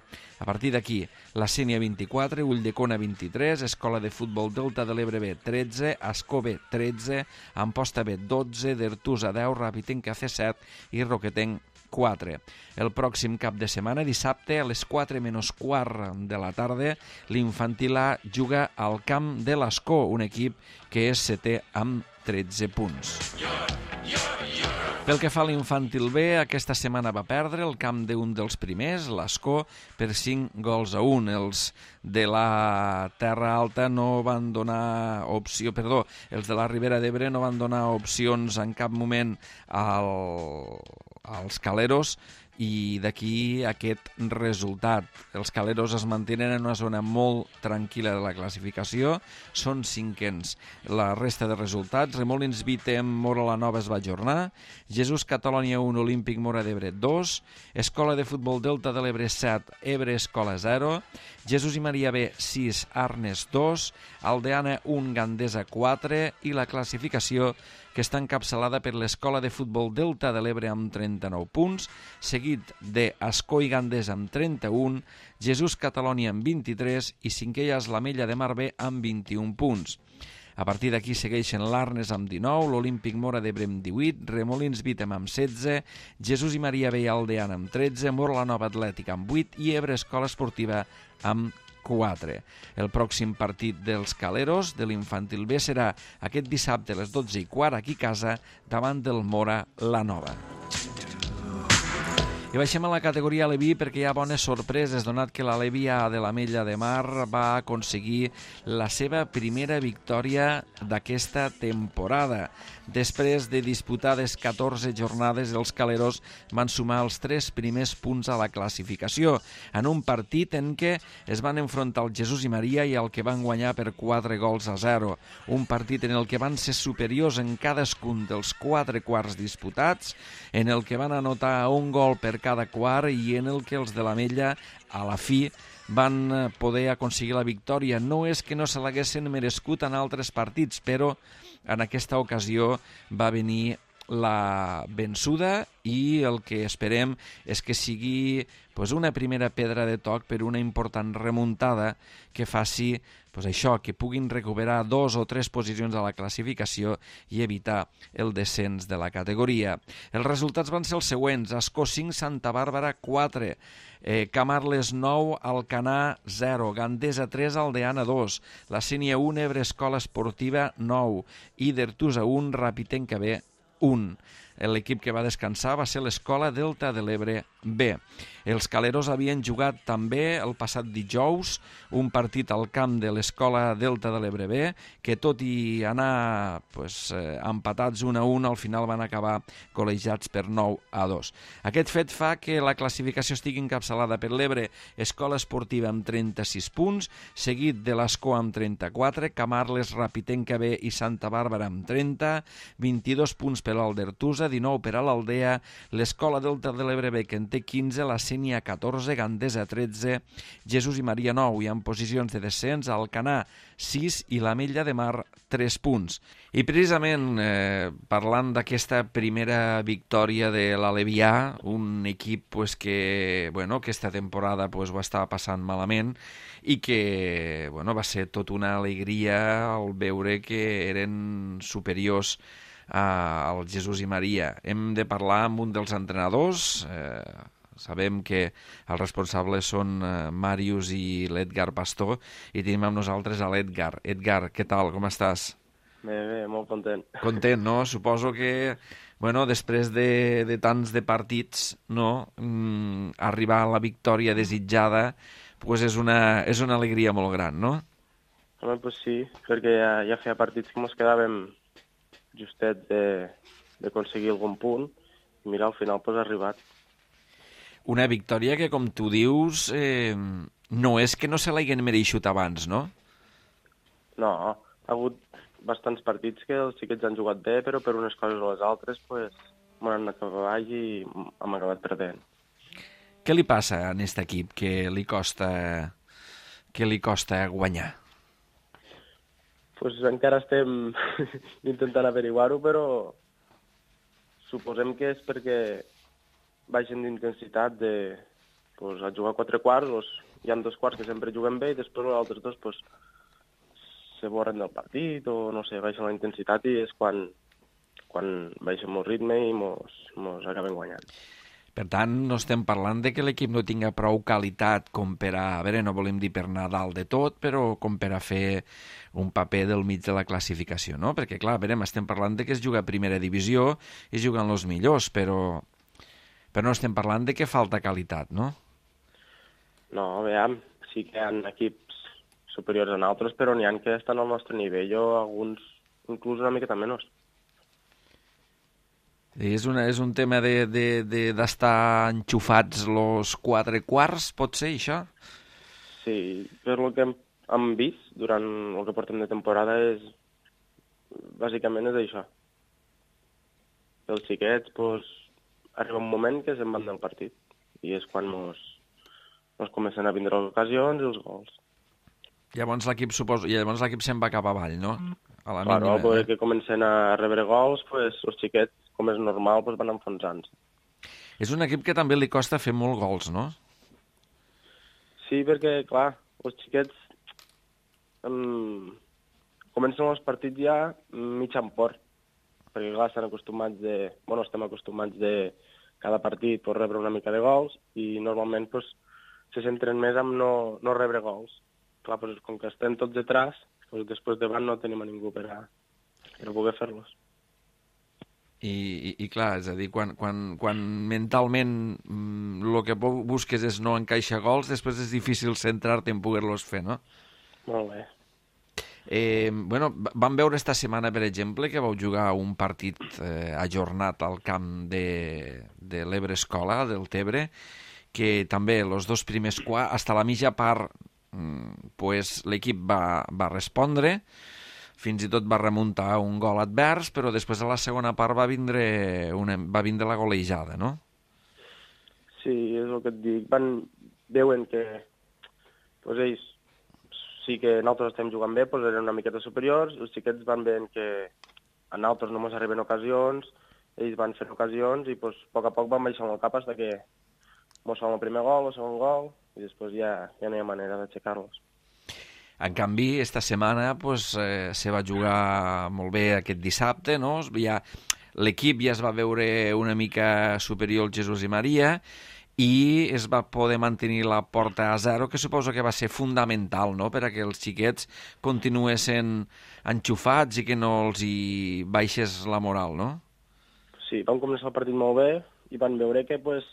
A partir d'aquí, la Sénia vint-i-quatre, Ulldecona vint-i-tres, Escola de Futbol Delta de l'Ebre B tretze, Ascó B tretze, Amposta B dotze, Dertusa deu, Rapitenca C set i Roquetenc quatre. El pròxim cap de setmana, dissabte, a les quatre menys quart de la tarda, l'infantil A juga al camp de l'Ascó, un equip que és setè amb tretze punts. Pel que fa a l'infantil B, aquesta setmana va perdre el camp d'un dels primers, l'Escó, per cinc gols a un. Els de la Terra Alta no van donar opció, perdó, els de la Ribera d'Ebre no van donar opcions en cap moment al, als Caleros, i d'aquí aquest resultat. Els Caleros es mantenen en una zona molt tranquil·la de la classificació, són cinquens. La resta de resultats: Remolins Vitem, Mora la Nova es va ajornar, Jesús Catalònia un, Olímpic Mora d'Ebre dos, Escola de Futbol Delta de l'Ebre set, Ebre Escola zero, Jesús i Maria B sis, Arnes dos, Aldeana un, Gandesa quatre, i la classificació que està encapçalada per l'Escola de Futbol Delta de l'Ebre amb trenta-nou punts, seguit de Ascó i Gandés amb trenta-un, Jesús Catalònia amb vint-i-tres i cinquè és l'Ametlla de Mar B amb vint-i-un punts. A partir d'aquí segueixen l'Arnes amb dinou, l'Olímpic Mora d'Ebre amb divuit, Remolins Vitem amb setze, Jesús i Maria B i Aldeana amb tretze, Mora la Nova Atlètica amb vuit i Ebre Escola Esportiva amb quatre. El pròxim partit dels Caleros de l'infantil B serà aquest dissabte a les dotze i quart aquí a casa davant del Mora la Nova. I baixem a la categoria Aleví perquè hi ha bones sorpreses, donat que l'Aleví A de l'Ametlla de Mar va aconseguir la seva primera victòria d'aquesta temporada. Després de disputades catorze jornades, els Caleros van sumar els tres primers punts a la classificació, en un partit en què es van enfrontar al Jesús i Maria i al que van guanyar per quatre gols a zero. Un partit en el que van ser superiors en cadascun dels quatre quarts disputats, en el que van anotar un gol per cada quart i en el que els de l'Ametlla, a la fi, van poder aconseguir la victòria. No és que no se l'haguessin merescut en altres partits, però en aquesta ocasió va venir la vençuda i el que esperem és que sigui pues, una primera pedra de toc per una important remuntada que faci pues, això, que puguin recuperar dos o tres posicions a la classificació i evitar el descens de la categoria. Els resultats van ser els següents: Ascó cinc, Santa Bàrbara quatre, eh, Camarles nou, Alcanar zero, Gandesa tres, Aldeana dos, la Sénia un, Ebre Escola Esportiva nou i d'Ertusa un, Rapitenca B un. L'equip que va descansar va ser l'Escola Delta de l'Ebre B. Els Caleros havien jugat també el passat dijous un partit al camp de l'Escola Delta de l'Ebre B, que tot i anar pues, eh, empatats un a un, al final van acabar col·legiats per nou a dos. Aquest fet fa que la classificació estigui encapçalada per l'Ebre Escola Esportiva amb trenta-sis punts, seguit de l'Escó amb trenta-quatre, Camarles, Rapitenca B i Santa Bàrbara amb trenta, vint-i-dos punts per al d'Ertusa, dinou per a l'Aldea, l'Escola Delta de l'Ebre B, que en té quinze, la Sénia catorze, Gandesa tretze, Jesús i Maria nou, i en posicions de descens Alcanar sis i l'Ametlla de Mar tres punts. I precisament eh, parlant d'aquesta primera victòria de l'Alevià, un equip pues, que bueno, aquesta temporada pues, ho estava passant malament i que bueno, va ser tot una alegria al veure que eren superiors al Jesús i Maria. Hem de parlar amb un dels entrenadors. Eh, sabem que els responsables són eh, Màrius i l'Edgar Pastor, i tenim amb nosaltres a l'Edgar. Edgar, què tal? Com estàs? Bé, bé, molt content. Content, no? Suposo que bueno, després de, de tants de partits, no? Mm, arribar a la victòria desitjada pues és, una, és una alegria molt gran, no? Home, pues sí, perquè ja, ja feia partits que ens quedàvem justet d'aconseguir algun punt, i mira, al final pues, ha arribat. Una victòria que, com tu dius, eh, no és que no se l'hagin mereixut abans, no? No, ha hagut bastants partits que els xiquets han jugat bé, però per unes coses o les altres pues, m'han anat cap avall i hem acabat perdent. Què li passa a aquest equip que li costa, que li costa guanyar? Pues encara estem intentant averiguar-ho, però suposem que és perquè baixen d'intensitat de pues, a jugar quatre quarts, pues, hi ha dos quarts que sempre juguen bé i després els altres dos pues, se borren del partit o no sé, baixen la intensitat i és quan, quan baixem el ritme i mos, mos acabem guanyant. Per tant, no estem parlant de que l'equip no tinga prou qualitat com per a... A veure, no volem dir per anar dalt de tot, però com per a fer un paper del mig de la classificació, no? Perquè, clar, a veure, estem parlant de que es juga a primera divisió i es juguen els millors, però, però no estem parlant de que falta qualitat, no? No, veiem, sí que hi ha equips superiors a altres, però n'hi ha que estan al nostre nivell o alguns inclús una miqueta menys. És, una, és un tema d'estar de, de, de, enxufats los quatre quarts, pot ser, això? Sí, per el que hem, hem vist durant el que portem de temporada és, bàsicament és això. Els xiquets, doncs, arriba un moment que se'n van del partit i és quan mos, mos comencen a vindre les ocasions i els gols. Llavors l'equip suposo, i llavors l'equip se'n va cap avall, no? A la claro, mínima, eh? que comencen a rebre gols, pues, els xiquets, com és normal, pues, van enfonsant-se. És un equip que també li costa fer molts gols, no? Sí, perquè, clar, els xiquets um, comencen els partits ja mig en port, perquè, clar, estan acostumats de... Bueno, estem acostumats de cada partit pues, rebre una mica de gols i normalment pues, se centren més en no, no rebre gols. Clar, pues, com que estem tots detrás, pues, després davant no tenim a ningú per a, per a poder fer-los. I, i, i clar, és a dir, quan, quan, quan mentalment el que busques és no encaixar gols, després és difícil centrar-te en poder-los fer, no? Molt bé. Eh, bueno, vam veure esta setmana, per exemple, que vau jugar un partit eh, ajornat al camp de, de l'Ebre Escola, del Tebre, que també els dos primers quarts, fins a la mitja part, pues, l'equip va, va respondre, fins i tot va remuntar un gol advers, però després a la segona part va vindre, una, va vindre la golejada, no? Sí, és el que et dic. Van, veuen que pues, ells sí que nosaltres estem jugant bé, pues, eren una miqueta superiors, els xiquets van veient que a nosaltres no ens arriben ocasions, ells van fent ocasions i pues, a poc a poc van baixant el cap fins que ens fan el primer gol, el segon gol, i després ja, ja no hi ha manera d'aixecar-los. En canvi, esta setmana pues, eh, se va jugar molt bé aquest dissabte, no? Ja, l'equip ja es va veure una mica superior al Jesús i Maria i es va poder mantenir la porta a zero, que suposo que va ser fundamental, no?, per a que els xiquets continuessin enxufats i que no els hi baixés la moral, no? Sí, van començar el partit molt bé i van veure que pues,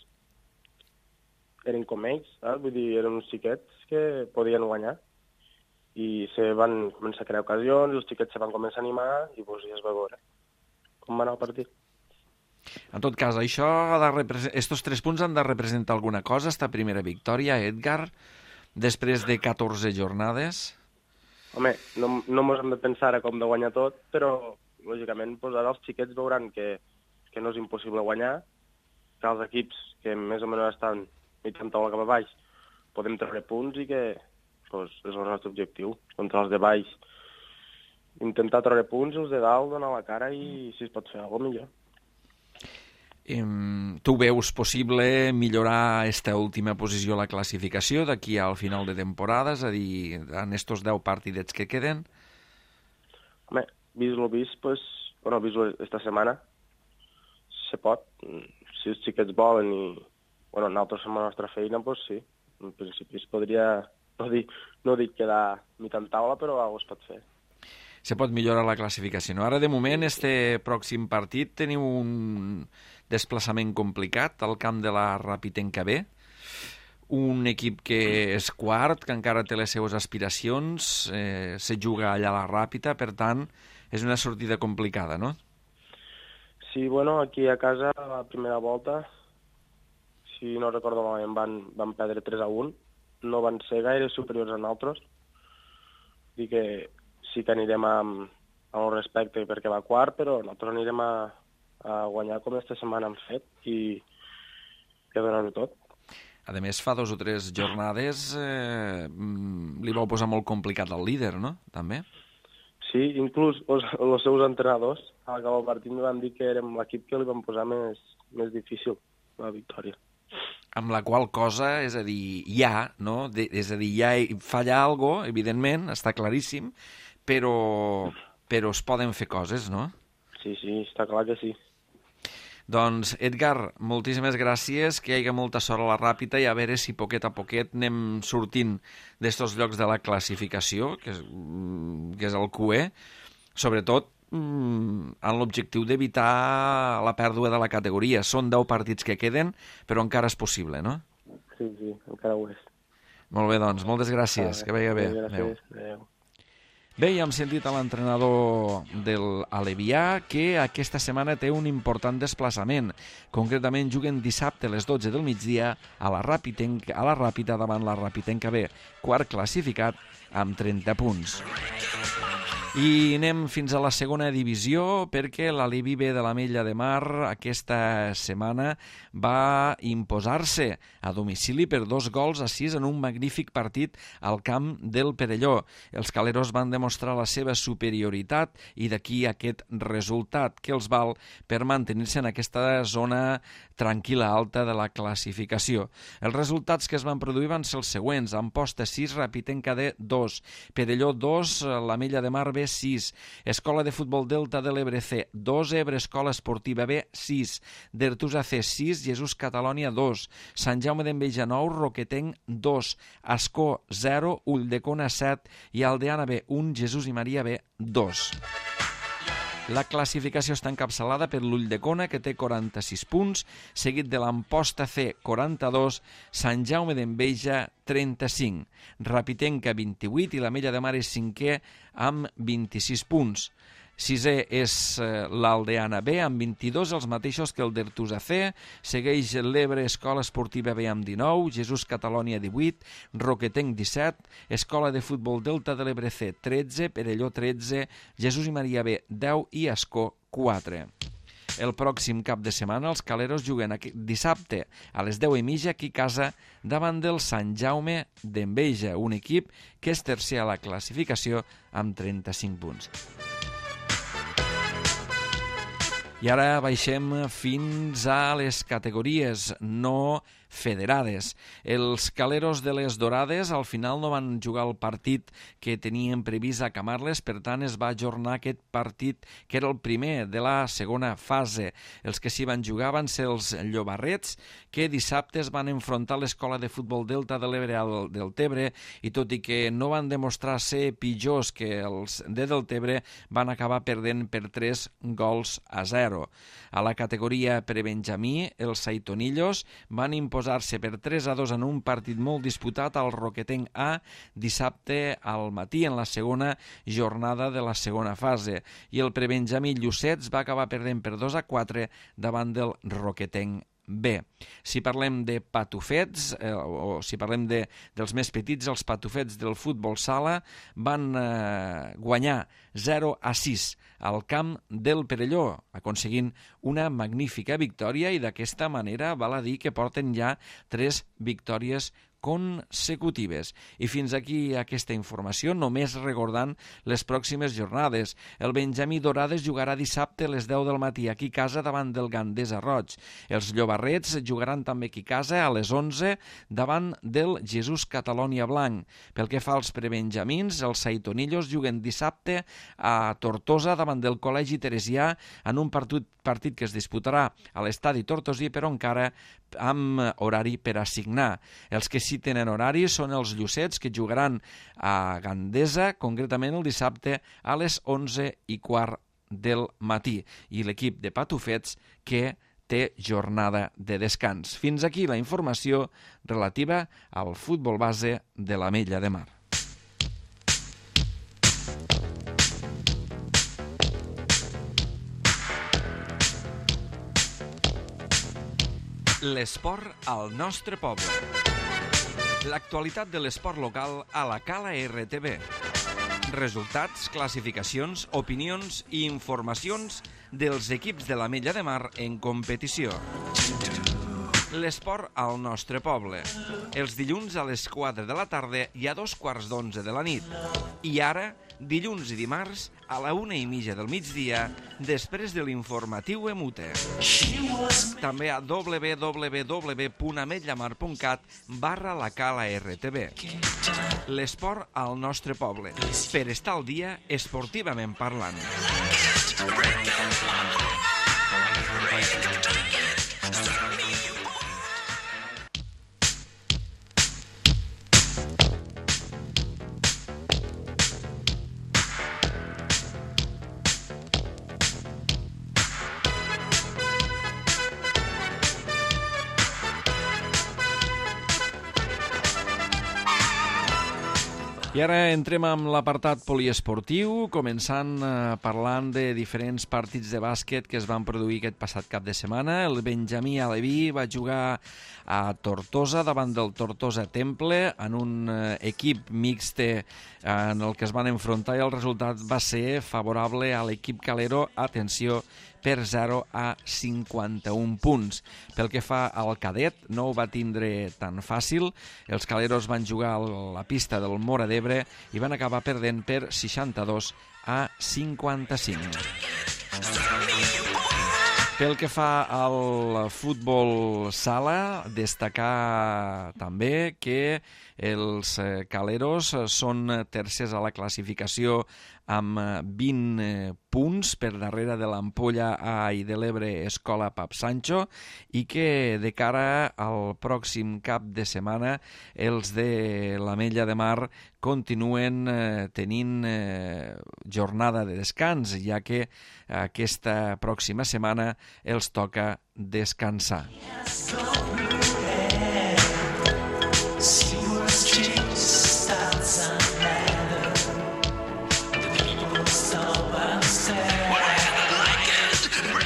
eren com ells, eh? Vull dir, eren uns xiquets que podien guanyar i se van començar a crear ocasions, els xiquets se van començar a animar i pues, ja es va veure com va anar el partit. En tot cas, això ha de representar, estos tres punts han de representar alguna cosa, esta primera victòria, Edgar, després de catorze jornades? Home, no, no mos hem de pensar a com de guanyar tot, però lògicament pues, ara els xiquets veuran que, que no és impossible guanyar, que els equips que més o menys estan mitjan taula cap a baix podem treure punts i que pues, és el nostre objectiu. Contra els de baix intentar treure punts, els de dalt donar la cara i si es pot fer alguna cosa millor. Tu veus possible millorar esta última posició a la classificació d'aquí al final de temporada, és a dir, en estos deu partidets que queden? Home, vist lo vist, pues, bueno, vist esta setmana, se pot. Si els xiquets volen i bueno, nosaltres fem la nostra feina, pues sí. En principi es podria, no dic, no dic quedar mitjan taula, però alguna cosa es pot fer. Se pot millorar la classificació. No? Ara, de moment, este pròxim partit teniu un desplaçament complicat al camp de la Ràpita B, un equip que és quart, que encara té les seues aspiracions, eh, se juga allà a la Ràpita, per tant, és una sortida complicada, no? Sí, bueno, aquí a casa, la primera volta, si no recordo malament, van, van perdre tres a un, no van ser gaire superiors a nosaltres, i que sí que anirem amb, amb el respecte perquè va quart, però nosaltres anirem a, a guanyar com aquesta setmana hem fet i, i a donar-ho tot. A més, fa dos o tres jornades eh, li vau posar molt complicat al líder, no? També? Sí, inclús els, els seus entrenadors al acabar el partit em van dir que érem l'equip que li vam posar més, més difícil la victòria. Amb la qual cosa, és a dir, hi ha, no? De, és a dir, hi ha, falla algo, evidentment, està claríssim, però, però es poden fer coses, no? Sí, sí, està clar que sí. Doncs, Edgar, moltíssimes gràcies, que hi hagi molta sort a la Ràpita i a veure si poquet a poquet anem sortint d'estos llocs de la classificació, que és, que és el Q E, sobretot amb l'objectiu d'evitar la pèrdua de la categoria. Són deu partits que queden, però encara és possible, no? Sí, sí, encara ho és. Molt bé, doncs, moltes gràcies, que vagi bé. Gràcies, adéu. Bé, ja hem sentit a l'entrenador del Alevià que aquesta setmana té un important desplaçament. Concretament juguen dissabte a les dotze del migdia a la Ràpita, a la Ràpita davant la Ràpitenca B, quart classificat amb trenta punts. I anem fins a la segona divisió perquè l'Alevi B de l'Ametlla de Mar aquesta setmana va imposar-se a domicili per dos gols a sis en un magnífic partit al camp del Perelló. Els caleros van demostrar la seva superioritat i d'aquí aquest resultat que els val per mantenir-se en aquesta zona tranquil·la alta de la classificació. Els resultats que es van produir van ser els següents: Amposta sis, Ràpitenca D dos, Perelló dos, l'Ametlla de Mar B sis, Escola de Futbol Delta de l'Ebre C dos, Ebre Escola Esportiva B sis, Dertusa C sis, Jesús Catalònia dos, Sant Jaume d'Enveja nou, Roquetenc dos, Ascó zero, Ulldecona set i Aldeana B un, Jesús i Maria B dos. La classificació està encapçalada per l'Ulldecona, que té quaranta-sis punts, seguit de l'Amposta C, quaranta-dos, Sant Jaume d'Enveja, trenta-cinc, Ràpitenca, vint-i-vuit, i l'Ametlla de Mar és cinquè amb vint-i-sis punts. Sisè és l'Aldeana B, amb vint-i-dos, els mateixos que el Dertusa C. Segueix l'Ebre Escola Esportiva B amb dinou, Jesús Catalònia divuit, Roquetenc disset, Escola de Futbol Delta de l'Ebre C tretze, Perelló tretze, Jesús i Maria B deu i Ascó quatre. El pròxim cap de setmana els caleros juguen dissabte a les deu i mitja aquí a casa davant del Sant Jaume d'Enveja, un equip que és tercer a la classificació amb trenta-cinc punts. I ara baixem fins a les categories no federades. Els caleros de les Dorades al final no van jugar el partit que tenien previst a Camarles, per tant es va ajornar aquest partit que era el primer de la segona fase. Els que s'hi van jugar van ser els Llobarrets, que dissabte es van enfrontar a l'Escola de Futbol Delta de l'Ebre al Deltebre, i tot i que no van demostrar ser pitjors que els de Deltebre, van acabar perdent per tres gols a zero. A la categoria prebenjamí, els Saitonillos van imposar-se per tres a dos en un partit molt disputat al Roquetenc A dissabte al matí en la segona jornada de la segona fase, i el prebenjamí Llucets va acabar perdent per dos a quatre davant del Roquetenc B. Si parlem de patufets, eh, o si parlem de, dels més petits, els patufets del futbol sala van eh, guanyar zero a sis al camp del Perelló, aconseguint una magnífica victòria, i d'aquesta manera val a dir que porten ja tres victòries consecutives. I fins aquí aquesta informació, només recordant les pròximes jornades. El Benjamí Dorades jugarà dissabte a les deu del matí aquí a casa davant del Gandesa Roig. Els Llobarrets jugaran també aquí a casa a les onze davant del Jesús Catalònia Blanc. Pel que fa als prebenjamins, els Saitonillos juguen dissabte a Tortosa davant del Col·legi Teresià en un partit, partit que es disputarà a l'estadi tortosí, però encara amb horari per assignar. Els que sí tenen horari són els Llucets, que jugaran a Gandesa, concretament el dissabte a les onze i quart del matí, i l'equip de patufets que té jornada de descans. Fins aquí la informació relativa al futbol base de l'Ametlla de Mar. L'esport al nostre poble. L'actualitat de l'esport local a la Cala R T V. Resultats, classificacions, opinions i informacions dels equips de l'Ametlla de Mar en competició. L'esport al nostre poble. Els dilluns a les quatre de la tarda i a dos quarts d'onze de la nit. I ara, dilluns i dimarts, a la una i mitja del migdia, després de l'informatiu Emute. També a w w w punt ametllamar punt cat barra la Cala R T V. L'esport al nostre poble. Per estar al dia esportivament parlant. I ara entrem amb l'apartat poliesportiu, començant eh, parlant de diferents partits de bàsquet que es van produir aquest passat cap de setmana. El Benjamí Aleví va jugar a Tortosa davant del Tortosa Temple en un eh, equip mixte eh, en el que es van enfrontar i el resultat va ser favorable a l'equip calero, atenció, per zero a cinquanta-un punts. Pel que fa al cadet, no ho va tindre tan fàcil. Els caleros van jugar a la pista del Móra d'Ebre i van acabar perdent per seixanta-dos a cinquanta-cinc. Pel que fa al futbol sala, destacar també que els caleros són tercers a la classificació amb vint punts per darrere de l'Ampolla A i de l'Ebre Escola Pap Sancho i que de cara al pròxim cap de setmana els de l'Ametlla de Mar continuen eh, tenint eh, jornada de descans, ja que aquesta pròxima setmana els toca descansar.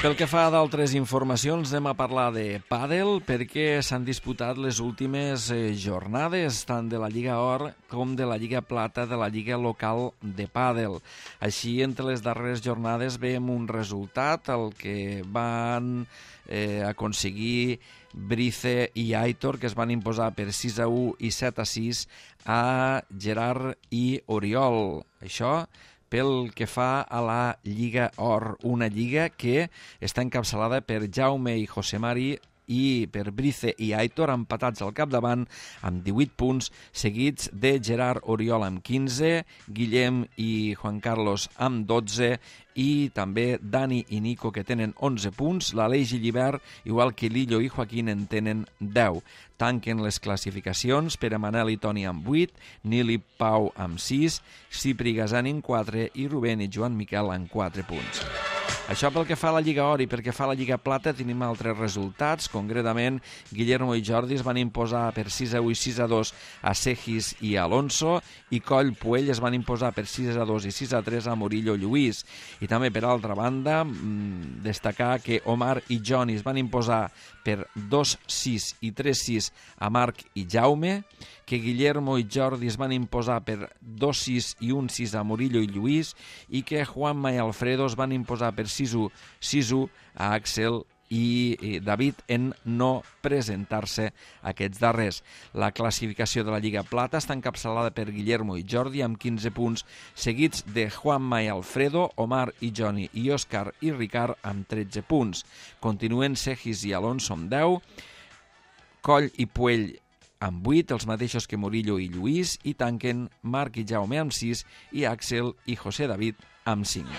Pel que fa d'altres informacions, anem a parlar de pàdel perquè s'han disputat les últimes eh, jornades tant de la Lliga Or com de la Lliga Plata de la Lliga Local de Pàdel. Així, entre les darreres jornades veiem un resultat, el que van eh, aconseguir Brice i Aitor, que es van imposar per sis a u i set a sis a Gerard i Oriol. Això pel que fa a la Lliga Or, una lliga que està encapçalada per Jaume i José Mari i per Brice i Aitor, empatats al capdavant amb divuit punts, seguits de Gerard Oriol amb quinze, Guillem i Juan Carlos amb dotze i també Dani i Nico, que tenen onze punts. L'Aleix i Llibert, igual que Lillo i Joaquín, en tenen deu. Tanquen les classificacions per a Manel i Toni amb vuit, Nil i Pau amb sis, Cipri i Gasani amb quatre i Rubén i Joan Miquel amb quatre punts. Això pel que fa a la Lliga Or, i pel que fa a la Lliga Plata tenim altres resultats. Concretament, Guillermo i Jordi es van imposar per sis a u i sis a dos a Segis i Alonso, i Coll Puell es van imposar per sis a dos i sis a tres a Murillo Lluís. I també, per altra banda, destacar que Omar i Johnny es van imposar per dos a sis i tres a sis a Marc i Jaume, que Guillermo i Jordi es van imposar per dos a sis i un a sis a Murillo i Lluís, i que Juanma i Alfredo es van imposar per sis a u, sis a u a Axel i David en no presentar-se aquests darrers. La classificació de la Lliga Plata està encapçalada per Guillermo i Jordi amb quinze punts, seguits de Juanma i Alfredo, Omar i Johnny i Òscar i Ricard amb tretze punts. Continuen Segis i Alonso amb deu, Coll i Puell amb vuit, els mateixos que Murillo i Lluís, i tanquen Marc i Jaume amb sis i Axel i José David amb cinc.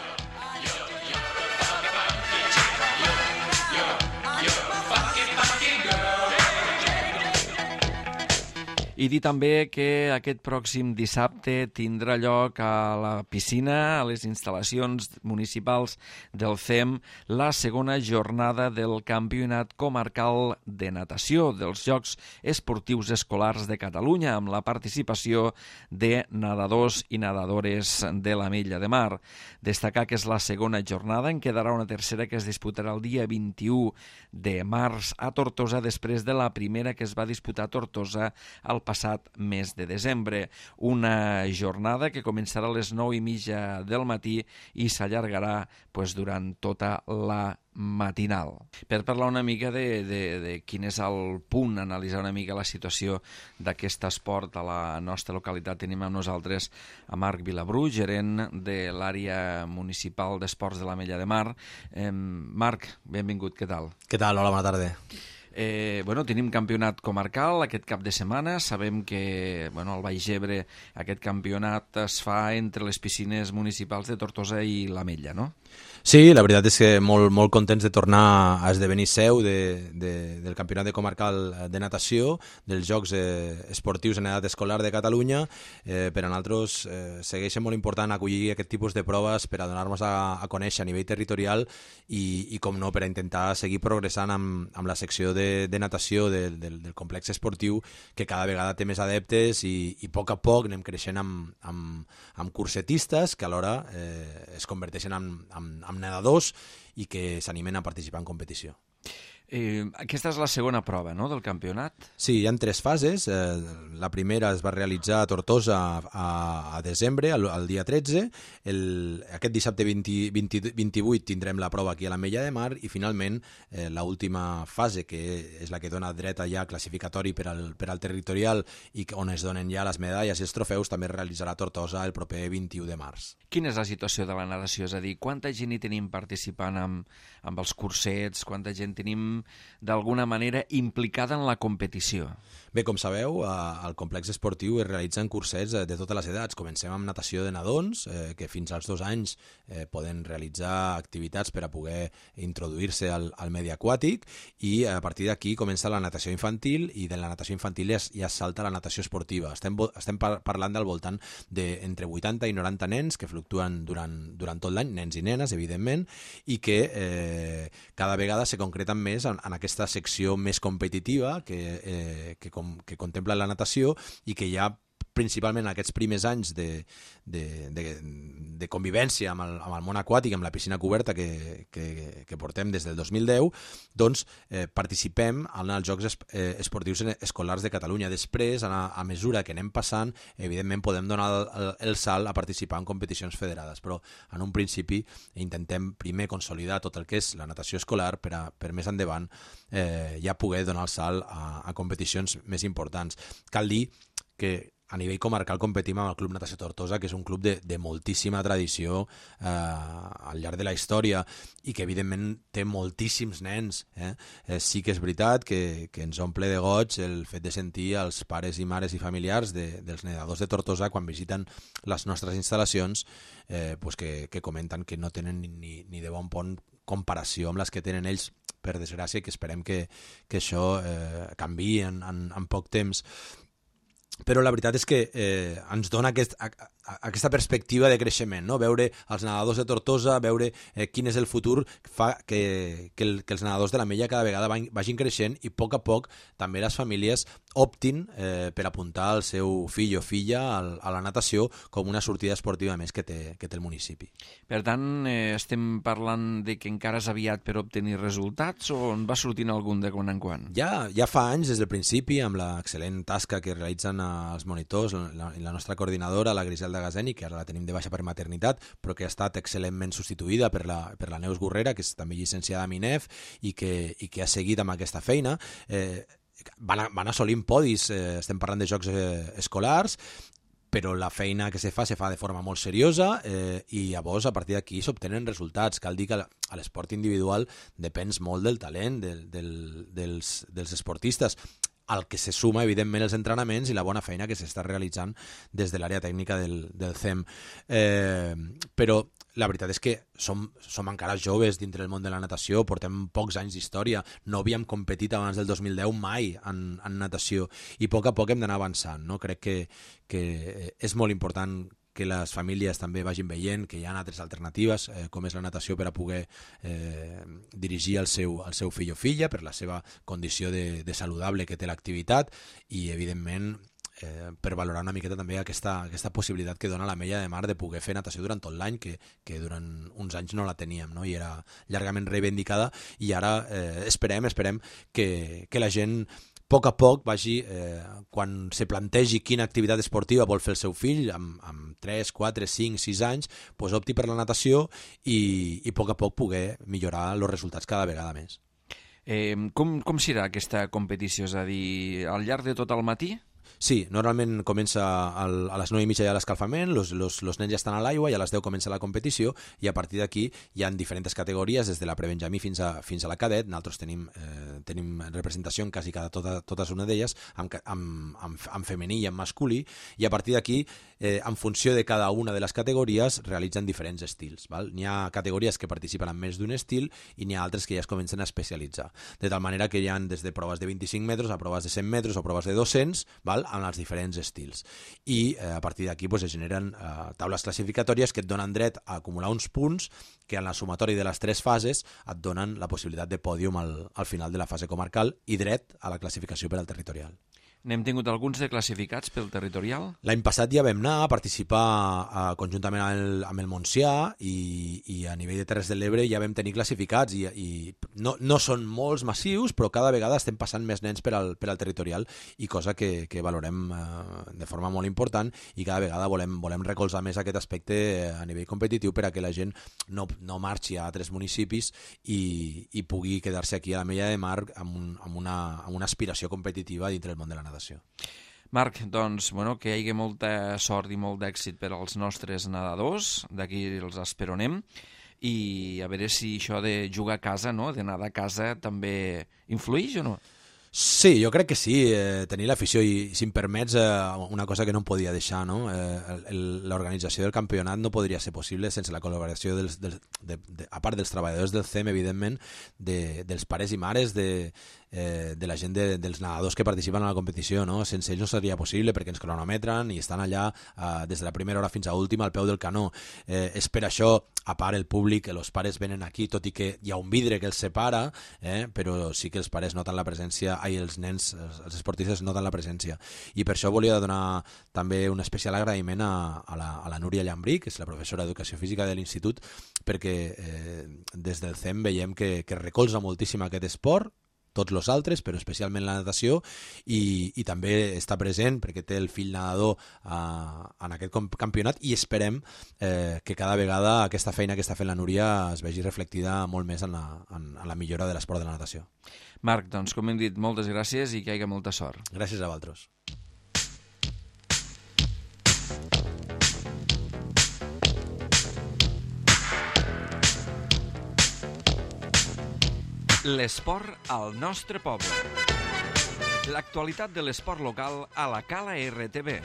I dir també que aquest pròxim dissabte tindrà lloc a la piscina, a les instal·lacions municipals del C E M, la segona jornada del Campionat Comarcal de Natació dels Jocs Esportius Escolars de Catalunya, amb la participació de nedadors i nedadores de l'Ametlla de Mar. Destacar que és la segona jornada, en quedarà una tercera que es disputarà el dia vint-i-u de març a Tortosa, després de la primera que es va disputar a Tortosa al passat mes de desembre. Una jornada que començarà a les nou i mitja del matí i s'allargarà pues, durant tota la matinal. Per parlar una mica de, de, de quin és el punt, analitzar una mica la situació d'aquest esport a la nostra localitat, tenim amb nosaltres a Marc Vilabru, gerent de l'àrea municipal d'esports de l'Ametlla de Mar. Eh, Marc, benvingut, què tal? Què tal? Hola, bona tarda. Eh, bueno, tenim campionat comarcal aquest cap de setmana. Sabem que bueno, al Baix Ebre aquest campionat es fa entre les piscines municipals de Tortosa i l'Ametlla, no? Sí, la veritat és que molt, molt contents de tornar a esdevenir seu de, de, del Campionat de Comarcal de Natació, dels Jocs eh, Esportius en edat escolar de Catalunya. Eh, per a nosaltres eh, segueix molt important acollir aquest tipus de proves per a donar-nos a, a conèixer a nivell territorial i, i com no, per a intentar seguir progressant amb, amb la secció de, de natació del, del, del complex esportiu, que cada vegada té més adeptes i, i a poc a poc anem creixent amb, amb, amb cursetistes que alhora eh, es converteixen en, en, en nedadors i que s'animen a participar en competició. Eh, aquesta és la segona prova, no?, del campionat? Sí, hi ha tres fases. Eh, la primera es va realitzar a Tortosa a, a desembre, al, al dia tretze. El, aquest dissabte vint, vint, vint-i-vuit tindrem la prova aquí a l'Ametlla de Mar i finalment eh, l'última fase, que és la que dona dret a ja classificatori per al, per al territorial i on es donen ja les medalles i els trofeus, també es realitzarà a Tortosa el proper vint-i-u de març. Quina és la situació de la natació? És a dir, quanta gent hi tenim participant amb, amb els cursets? Quanta gent tenim d'alguna manera implicada en la competició? Bé, com sabeu, al complex esportiu es realitzen cursets de totes les edats. Comencem amb natació de nadons, eh, que fins als dos anys eh, poden realitzar activitats per a poder introduir-se al, al medi aquàtic, i a partir d'aquí comença la natació infantil, i de la natació infantil ja, ja salta la natació esportiva. Estem, estem par parlant del voltant d'entre vuitanta i noranta nens que fluctuen durant, durant tot l'any, nens i nenes, evidentment, i que eh, cada vegada se concreten més en, en aquesta secció més competitiva que, eh, que, com, que contempla la natació, i que ja principalment aquests primers anys de, de, de, de convivència amb el, amb el món aquàtic, amb la piscina coberta que, que, que portem des del dos mil deu, doncs eh, participem en els Jocs es, eh, Esportius Escolars de Catalunya. Després, a, a mesura que anem passant, evidentment podem donar el, el salt a participar en competicions federades, però en un principi intentem primer consolidar tot el que és la natació escolar per, a, per més endavant eh, ja poder donar el salt a, a competicions més importants. Cal dir que a nivell comarcal competim amb el Club Natació Tortosa, que és un club de, de moltíssima tradició eh, al llarg de la història i que evidentment té moltíssims nens. Eh? Eh, sí que és veritat que, que ens omple de goig el fet de sentir els pares i mares i familiars de, dels nedadors de Tortosa quan visiten les nostres instal·lacions, eh, pues que, que comenten que no tenen ni, ni de bon pont comparació amb les que tenen ells, per desgràcia, i que esperem que, que això eh, canviï en, en, en poc temps. Però la veritat és que eh, ens dona aquest, a, a, aquesta perspectiva de creixement, no? Veure els nedadors de Tortosa, veure eh, quin és el futur, fa que, que, el, que els nedadors de l'Ametlla cada vegada vagin creixent i a poc a poc també les famílies optin eh, per apuntar el seu fill o filla al, a la natació com una sortida esportiva més que té, que té el municipi. Per tant, eh, estem parlant de que encara és aviat per obtenir resultats, o en va sortint algun de quan en quan? Ja, ja fa anys, des del principi, amb l'excel·lent tasca que realitzen els monitors, la, la nostra coordinadora, la Griselda Gazeni, que ara la tenim de baixa per maternitat, però que ha estat excel·lentment substituïda per la, per la Neus Gurrera, que és també llicenciada a Minef i que, i que ha seguit amb aquesta feina. Eh, van, van assolint podis, eh, estem parlant de jocs eh, escolars, però la feina que se fa se fa de forma molt seriosa eh, i llavors a partir d'aquí s'obtenen resultats. Cal dir que a l'esport individual depens molt del talent del, del, dels, dels esportistes, al que se suma, evidentment, els entrenaments i la bona feina que s'està realitzant des de l'àrea tècnica del, del C E M. Eh, però la veritat és que som, som encara joves dintre del món de la natació, portem pocs anys d'història, no havíem competit abans del dos mil deu mai en, en natació, i a poc a poc hem d'anar avançant, no? Crec que, que és molt important que les famílies també vagin veient que hi ha altres alternatives, eh, com és la natació, per a poder eh, dirigir el seu, el seu fill o filla per la seva condició de, de saludable que té l'activitat, i evidentment eh, per valorar una miqueta també aquesta, aquesta possibilitat que dona l'Ametlla de Mar de poder fer natació durant tot l'any, que, que durant uns anys no la teníem, no? I era llargament reivindicada, i ara eh, esperem, esperem que, que la gent a poc a poc vagi, eh, quan se plantegi quina activitat esportiva vol fer el seu fill, amb, amb tres, quatre, cinc, sis anys, pues opti per la natació i, i a poc a poc poder millorar els resultats cada vegada més. Eh, com, com serà aquesta competició? És a dir, al llarg de tot el matí? Sí, normalment comença al, a les nou i mitja ja l'escalfament, los, los, los nens ja estan a l'aigua i a les deu comença la competició i a partir d'aquí hi ha diferents categories, des de la prebenjamí fins a, fins a la cadet. Nosaltres tenim, eh, tenim representació en quasi cada tota, totes una d'elles, amb, amb, amb, amb femení i amb masculí, i a partir d'aquí, eh, en funció de cada una de les categories, realitzen diferents estils. Val? N'hi ha categories que participen en més d'un estil i n'hi ha altres que ja es comencen a especialitzar. De tal manera que hi ha des de proves de vint-i-cinc metres a proves de cent metres o proves de dos-cents, val? Amb els diferents estils. I eh, a partir d'aquí pues, es generen eh, taules classificatòries que et donen dret a acumular uns punts que en la sumatori de les tres fases et donen la possibilitat de pòdium al, al final de la fase comarcal i dret a la classificació per al territorial. N'hem tingut alguns de classificats pel territorial? L'any passat ja vam anar a participar a, conjuntament amb el, amb el Montsià i, i a nivell de Terres de l'Ebre ja vam tenir classificats i, i no, no són molts massius, però cada vegada estem passant més nens per al, per al territorial i cosa que, que valorem eh, de forma molt important i cada vegada volem, volem recolzar més aquest aspecte a nivell competitiu per a que la gent no, no marxi a altres municipis i, i pugui quedar-se aquí a la Mella de Mar amb, un, amb, una, amb una aspiració competitiva dintre del món de la natació. Marc, doncs, bueno, que hi hagi molta sort i molt d'èxit per als nostres nedadors, d'aquí els esperonem, i a veure si això de jugar a casa, no?, de nedar a casa, també influeix o no? Sí, jo crec que sí, eh, tenir l'afició i, si em permets, eh, una cosa que no em podia deixar, no? Eh, l'organització del campionat no podria ser possible sense la col·laboració, dels, dels, de, de, a part dels treballadors del C E M, evidentment, de, dels pares i mares, de, eh, de la gent de, dels nedadors que participen a la competició, no? Sense ells no seria possible perquè ens cronometren i estan allà eh, des de la primera hora fins a última al peu del canó. Eh, és per això, a part el públic, els pares venen aquí, tot i que hi ha un vidre que els separa, eh, però sí que els pares noten la presència, ai, els nens, els, els esportistes noten la presència. I per això volia donar també un especial agraïment a, a, la, a la Núria Llambrí, que és la professora d'Educació Física de l'Institut, perquè eh, des del C E M veiem que, que recolza moltíssim aquest esport, tots els altres, però especialment la natació, i, i també està present perquè té el fill nadador uh, en aquest campionat i esperem eh, que cada vegada aquesta feina que està fent la Núria es vegi reflectida molt més en la, en, en la millora de l'esport de la natació. Marc, doncs, com hem dit, moltes gràcies i que hi hagi molta sort. Gràcies a vosaltres. L'esport al nostre poble. L'actualitat de l'esport local a la Cala R T V.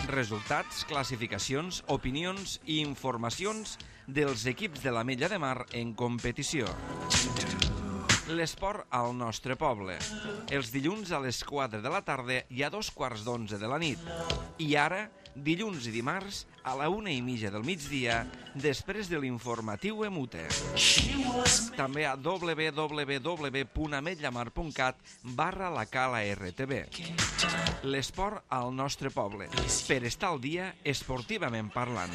Resultats, classificacions, opinions i informacions dels equips de la Mella de Mar en competició. L'esport al nostre poble. Els dilluns a les quatre de la tarda i a dos quarts d'onze de la nit. I ara, dilluns i dimarts, a la una i mitja del migdia, després de l'informatiu Emute. També a w w w punt ametllamar punt cat barra la Cala R T V. L'esport al nostre poble. Per estar al dia, esportivament parlant.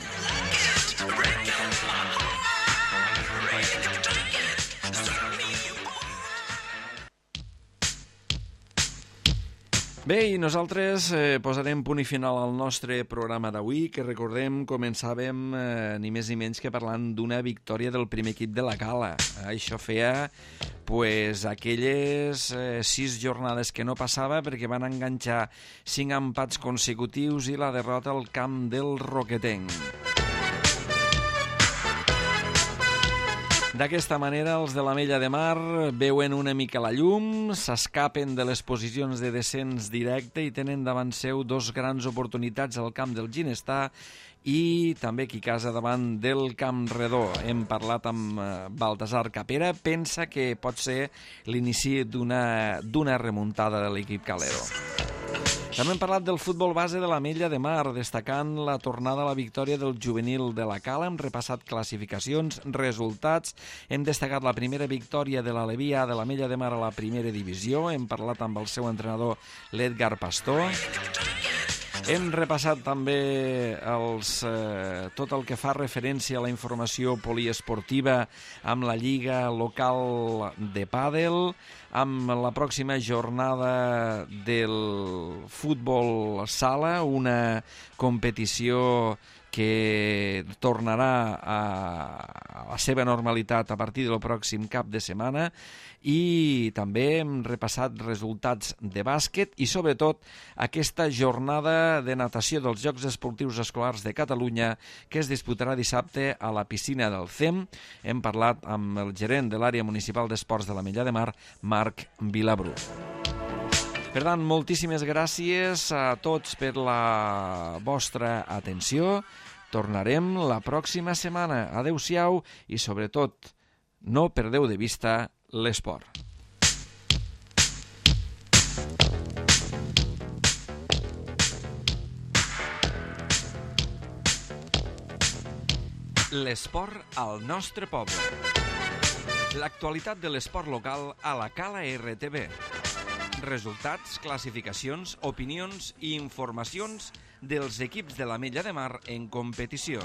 Bé, i nosaltres eh, posarem punt i final al nostre programa d'avui, que recordem començàvem eh, ni més ni menys que parlant d'una victòria del primer equip de la Cala. Eh, això feia pues, aquelles eh, sis jornades que no passava perquè van enganxar cinc empats consecutius i la derrota al camp del Roquetenc. D'aquesta manera, els de la Mella de Mar veuen una mica la llum, s'escapen de les posicions de descens directe i tenen davant seu dos grans oportunitats al camp del Ginestar i també qui casa davant del Camp Redó. Hem parlat amb Baltasar Capera, pensa que pot ser l'inici d'una d'una remuntada de l'equip calero. També hem parlat del futbol base de la Mella de Mar, destacant la tornada a la victòria del juvenil de la Cala. Hem repassat classificacions, resultats. Hem destacat la primera victòria de l'Alevia de la Mella de Mar a la primera divisió. Hem parlat amb el seu entrenador, l'Edgar Pastor. Hem repassat també els, eh, tot el que fa referència a la informació poliesportiva amb la Lliga Local de Pàdel, amb la pròxima jornada del futbol sala, una competició que tornarà a la seva normalitat a partir del pròxim cap de setmana, i també hem repassat resultats de bàsquet i sobretot aquesta jornada de natació dels Jocs Esportius Escolars de Catalunya que es disputarà dissabte a la piscina del C E M. Hem parlat amb el gerent de l'àrea municipal d'esports de l'Ametlla de Mar, Marc Vilabrú. Per tant, moltíssimes gràcies a tots per la vostra atenció. Tornarem la pròxima setmana. Adéu-siau i, sobretot, no perdeu de vista l'esport. L'esport al nostre poble. L'actualitat de l'esport local a la Cala R T V. Resultats, classificacions, opinions i informacions dels equips de l'Ametlla de Mar en competició.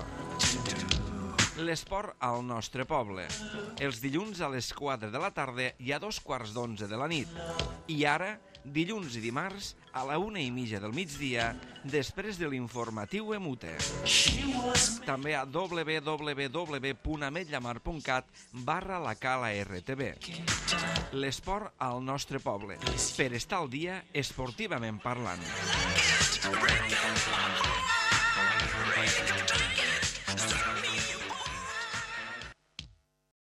L'esport al nostre poble. Els dilluns a les quatre de la tarda i a dos quarts d'onze de la nit. I ara, dilluns i dimarts, a la una i mitja del migdia, després de l'informatiu Emute. També a w w w punt ametllamar punt cat barra la Cala R T V. L'esport al nostre poble. Per estar al dia esportivament parlant.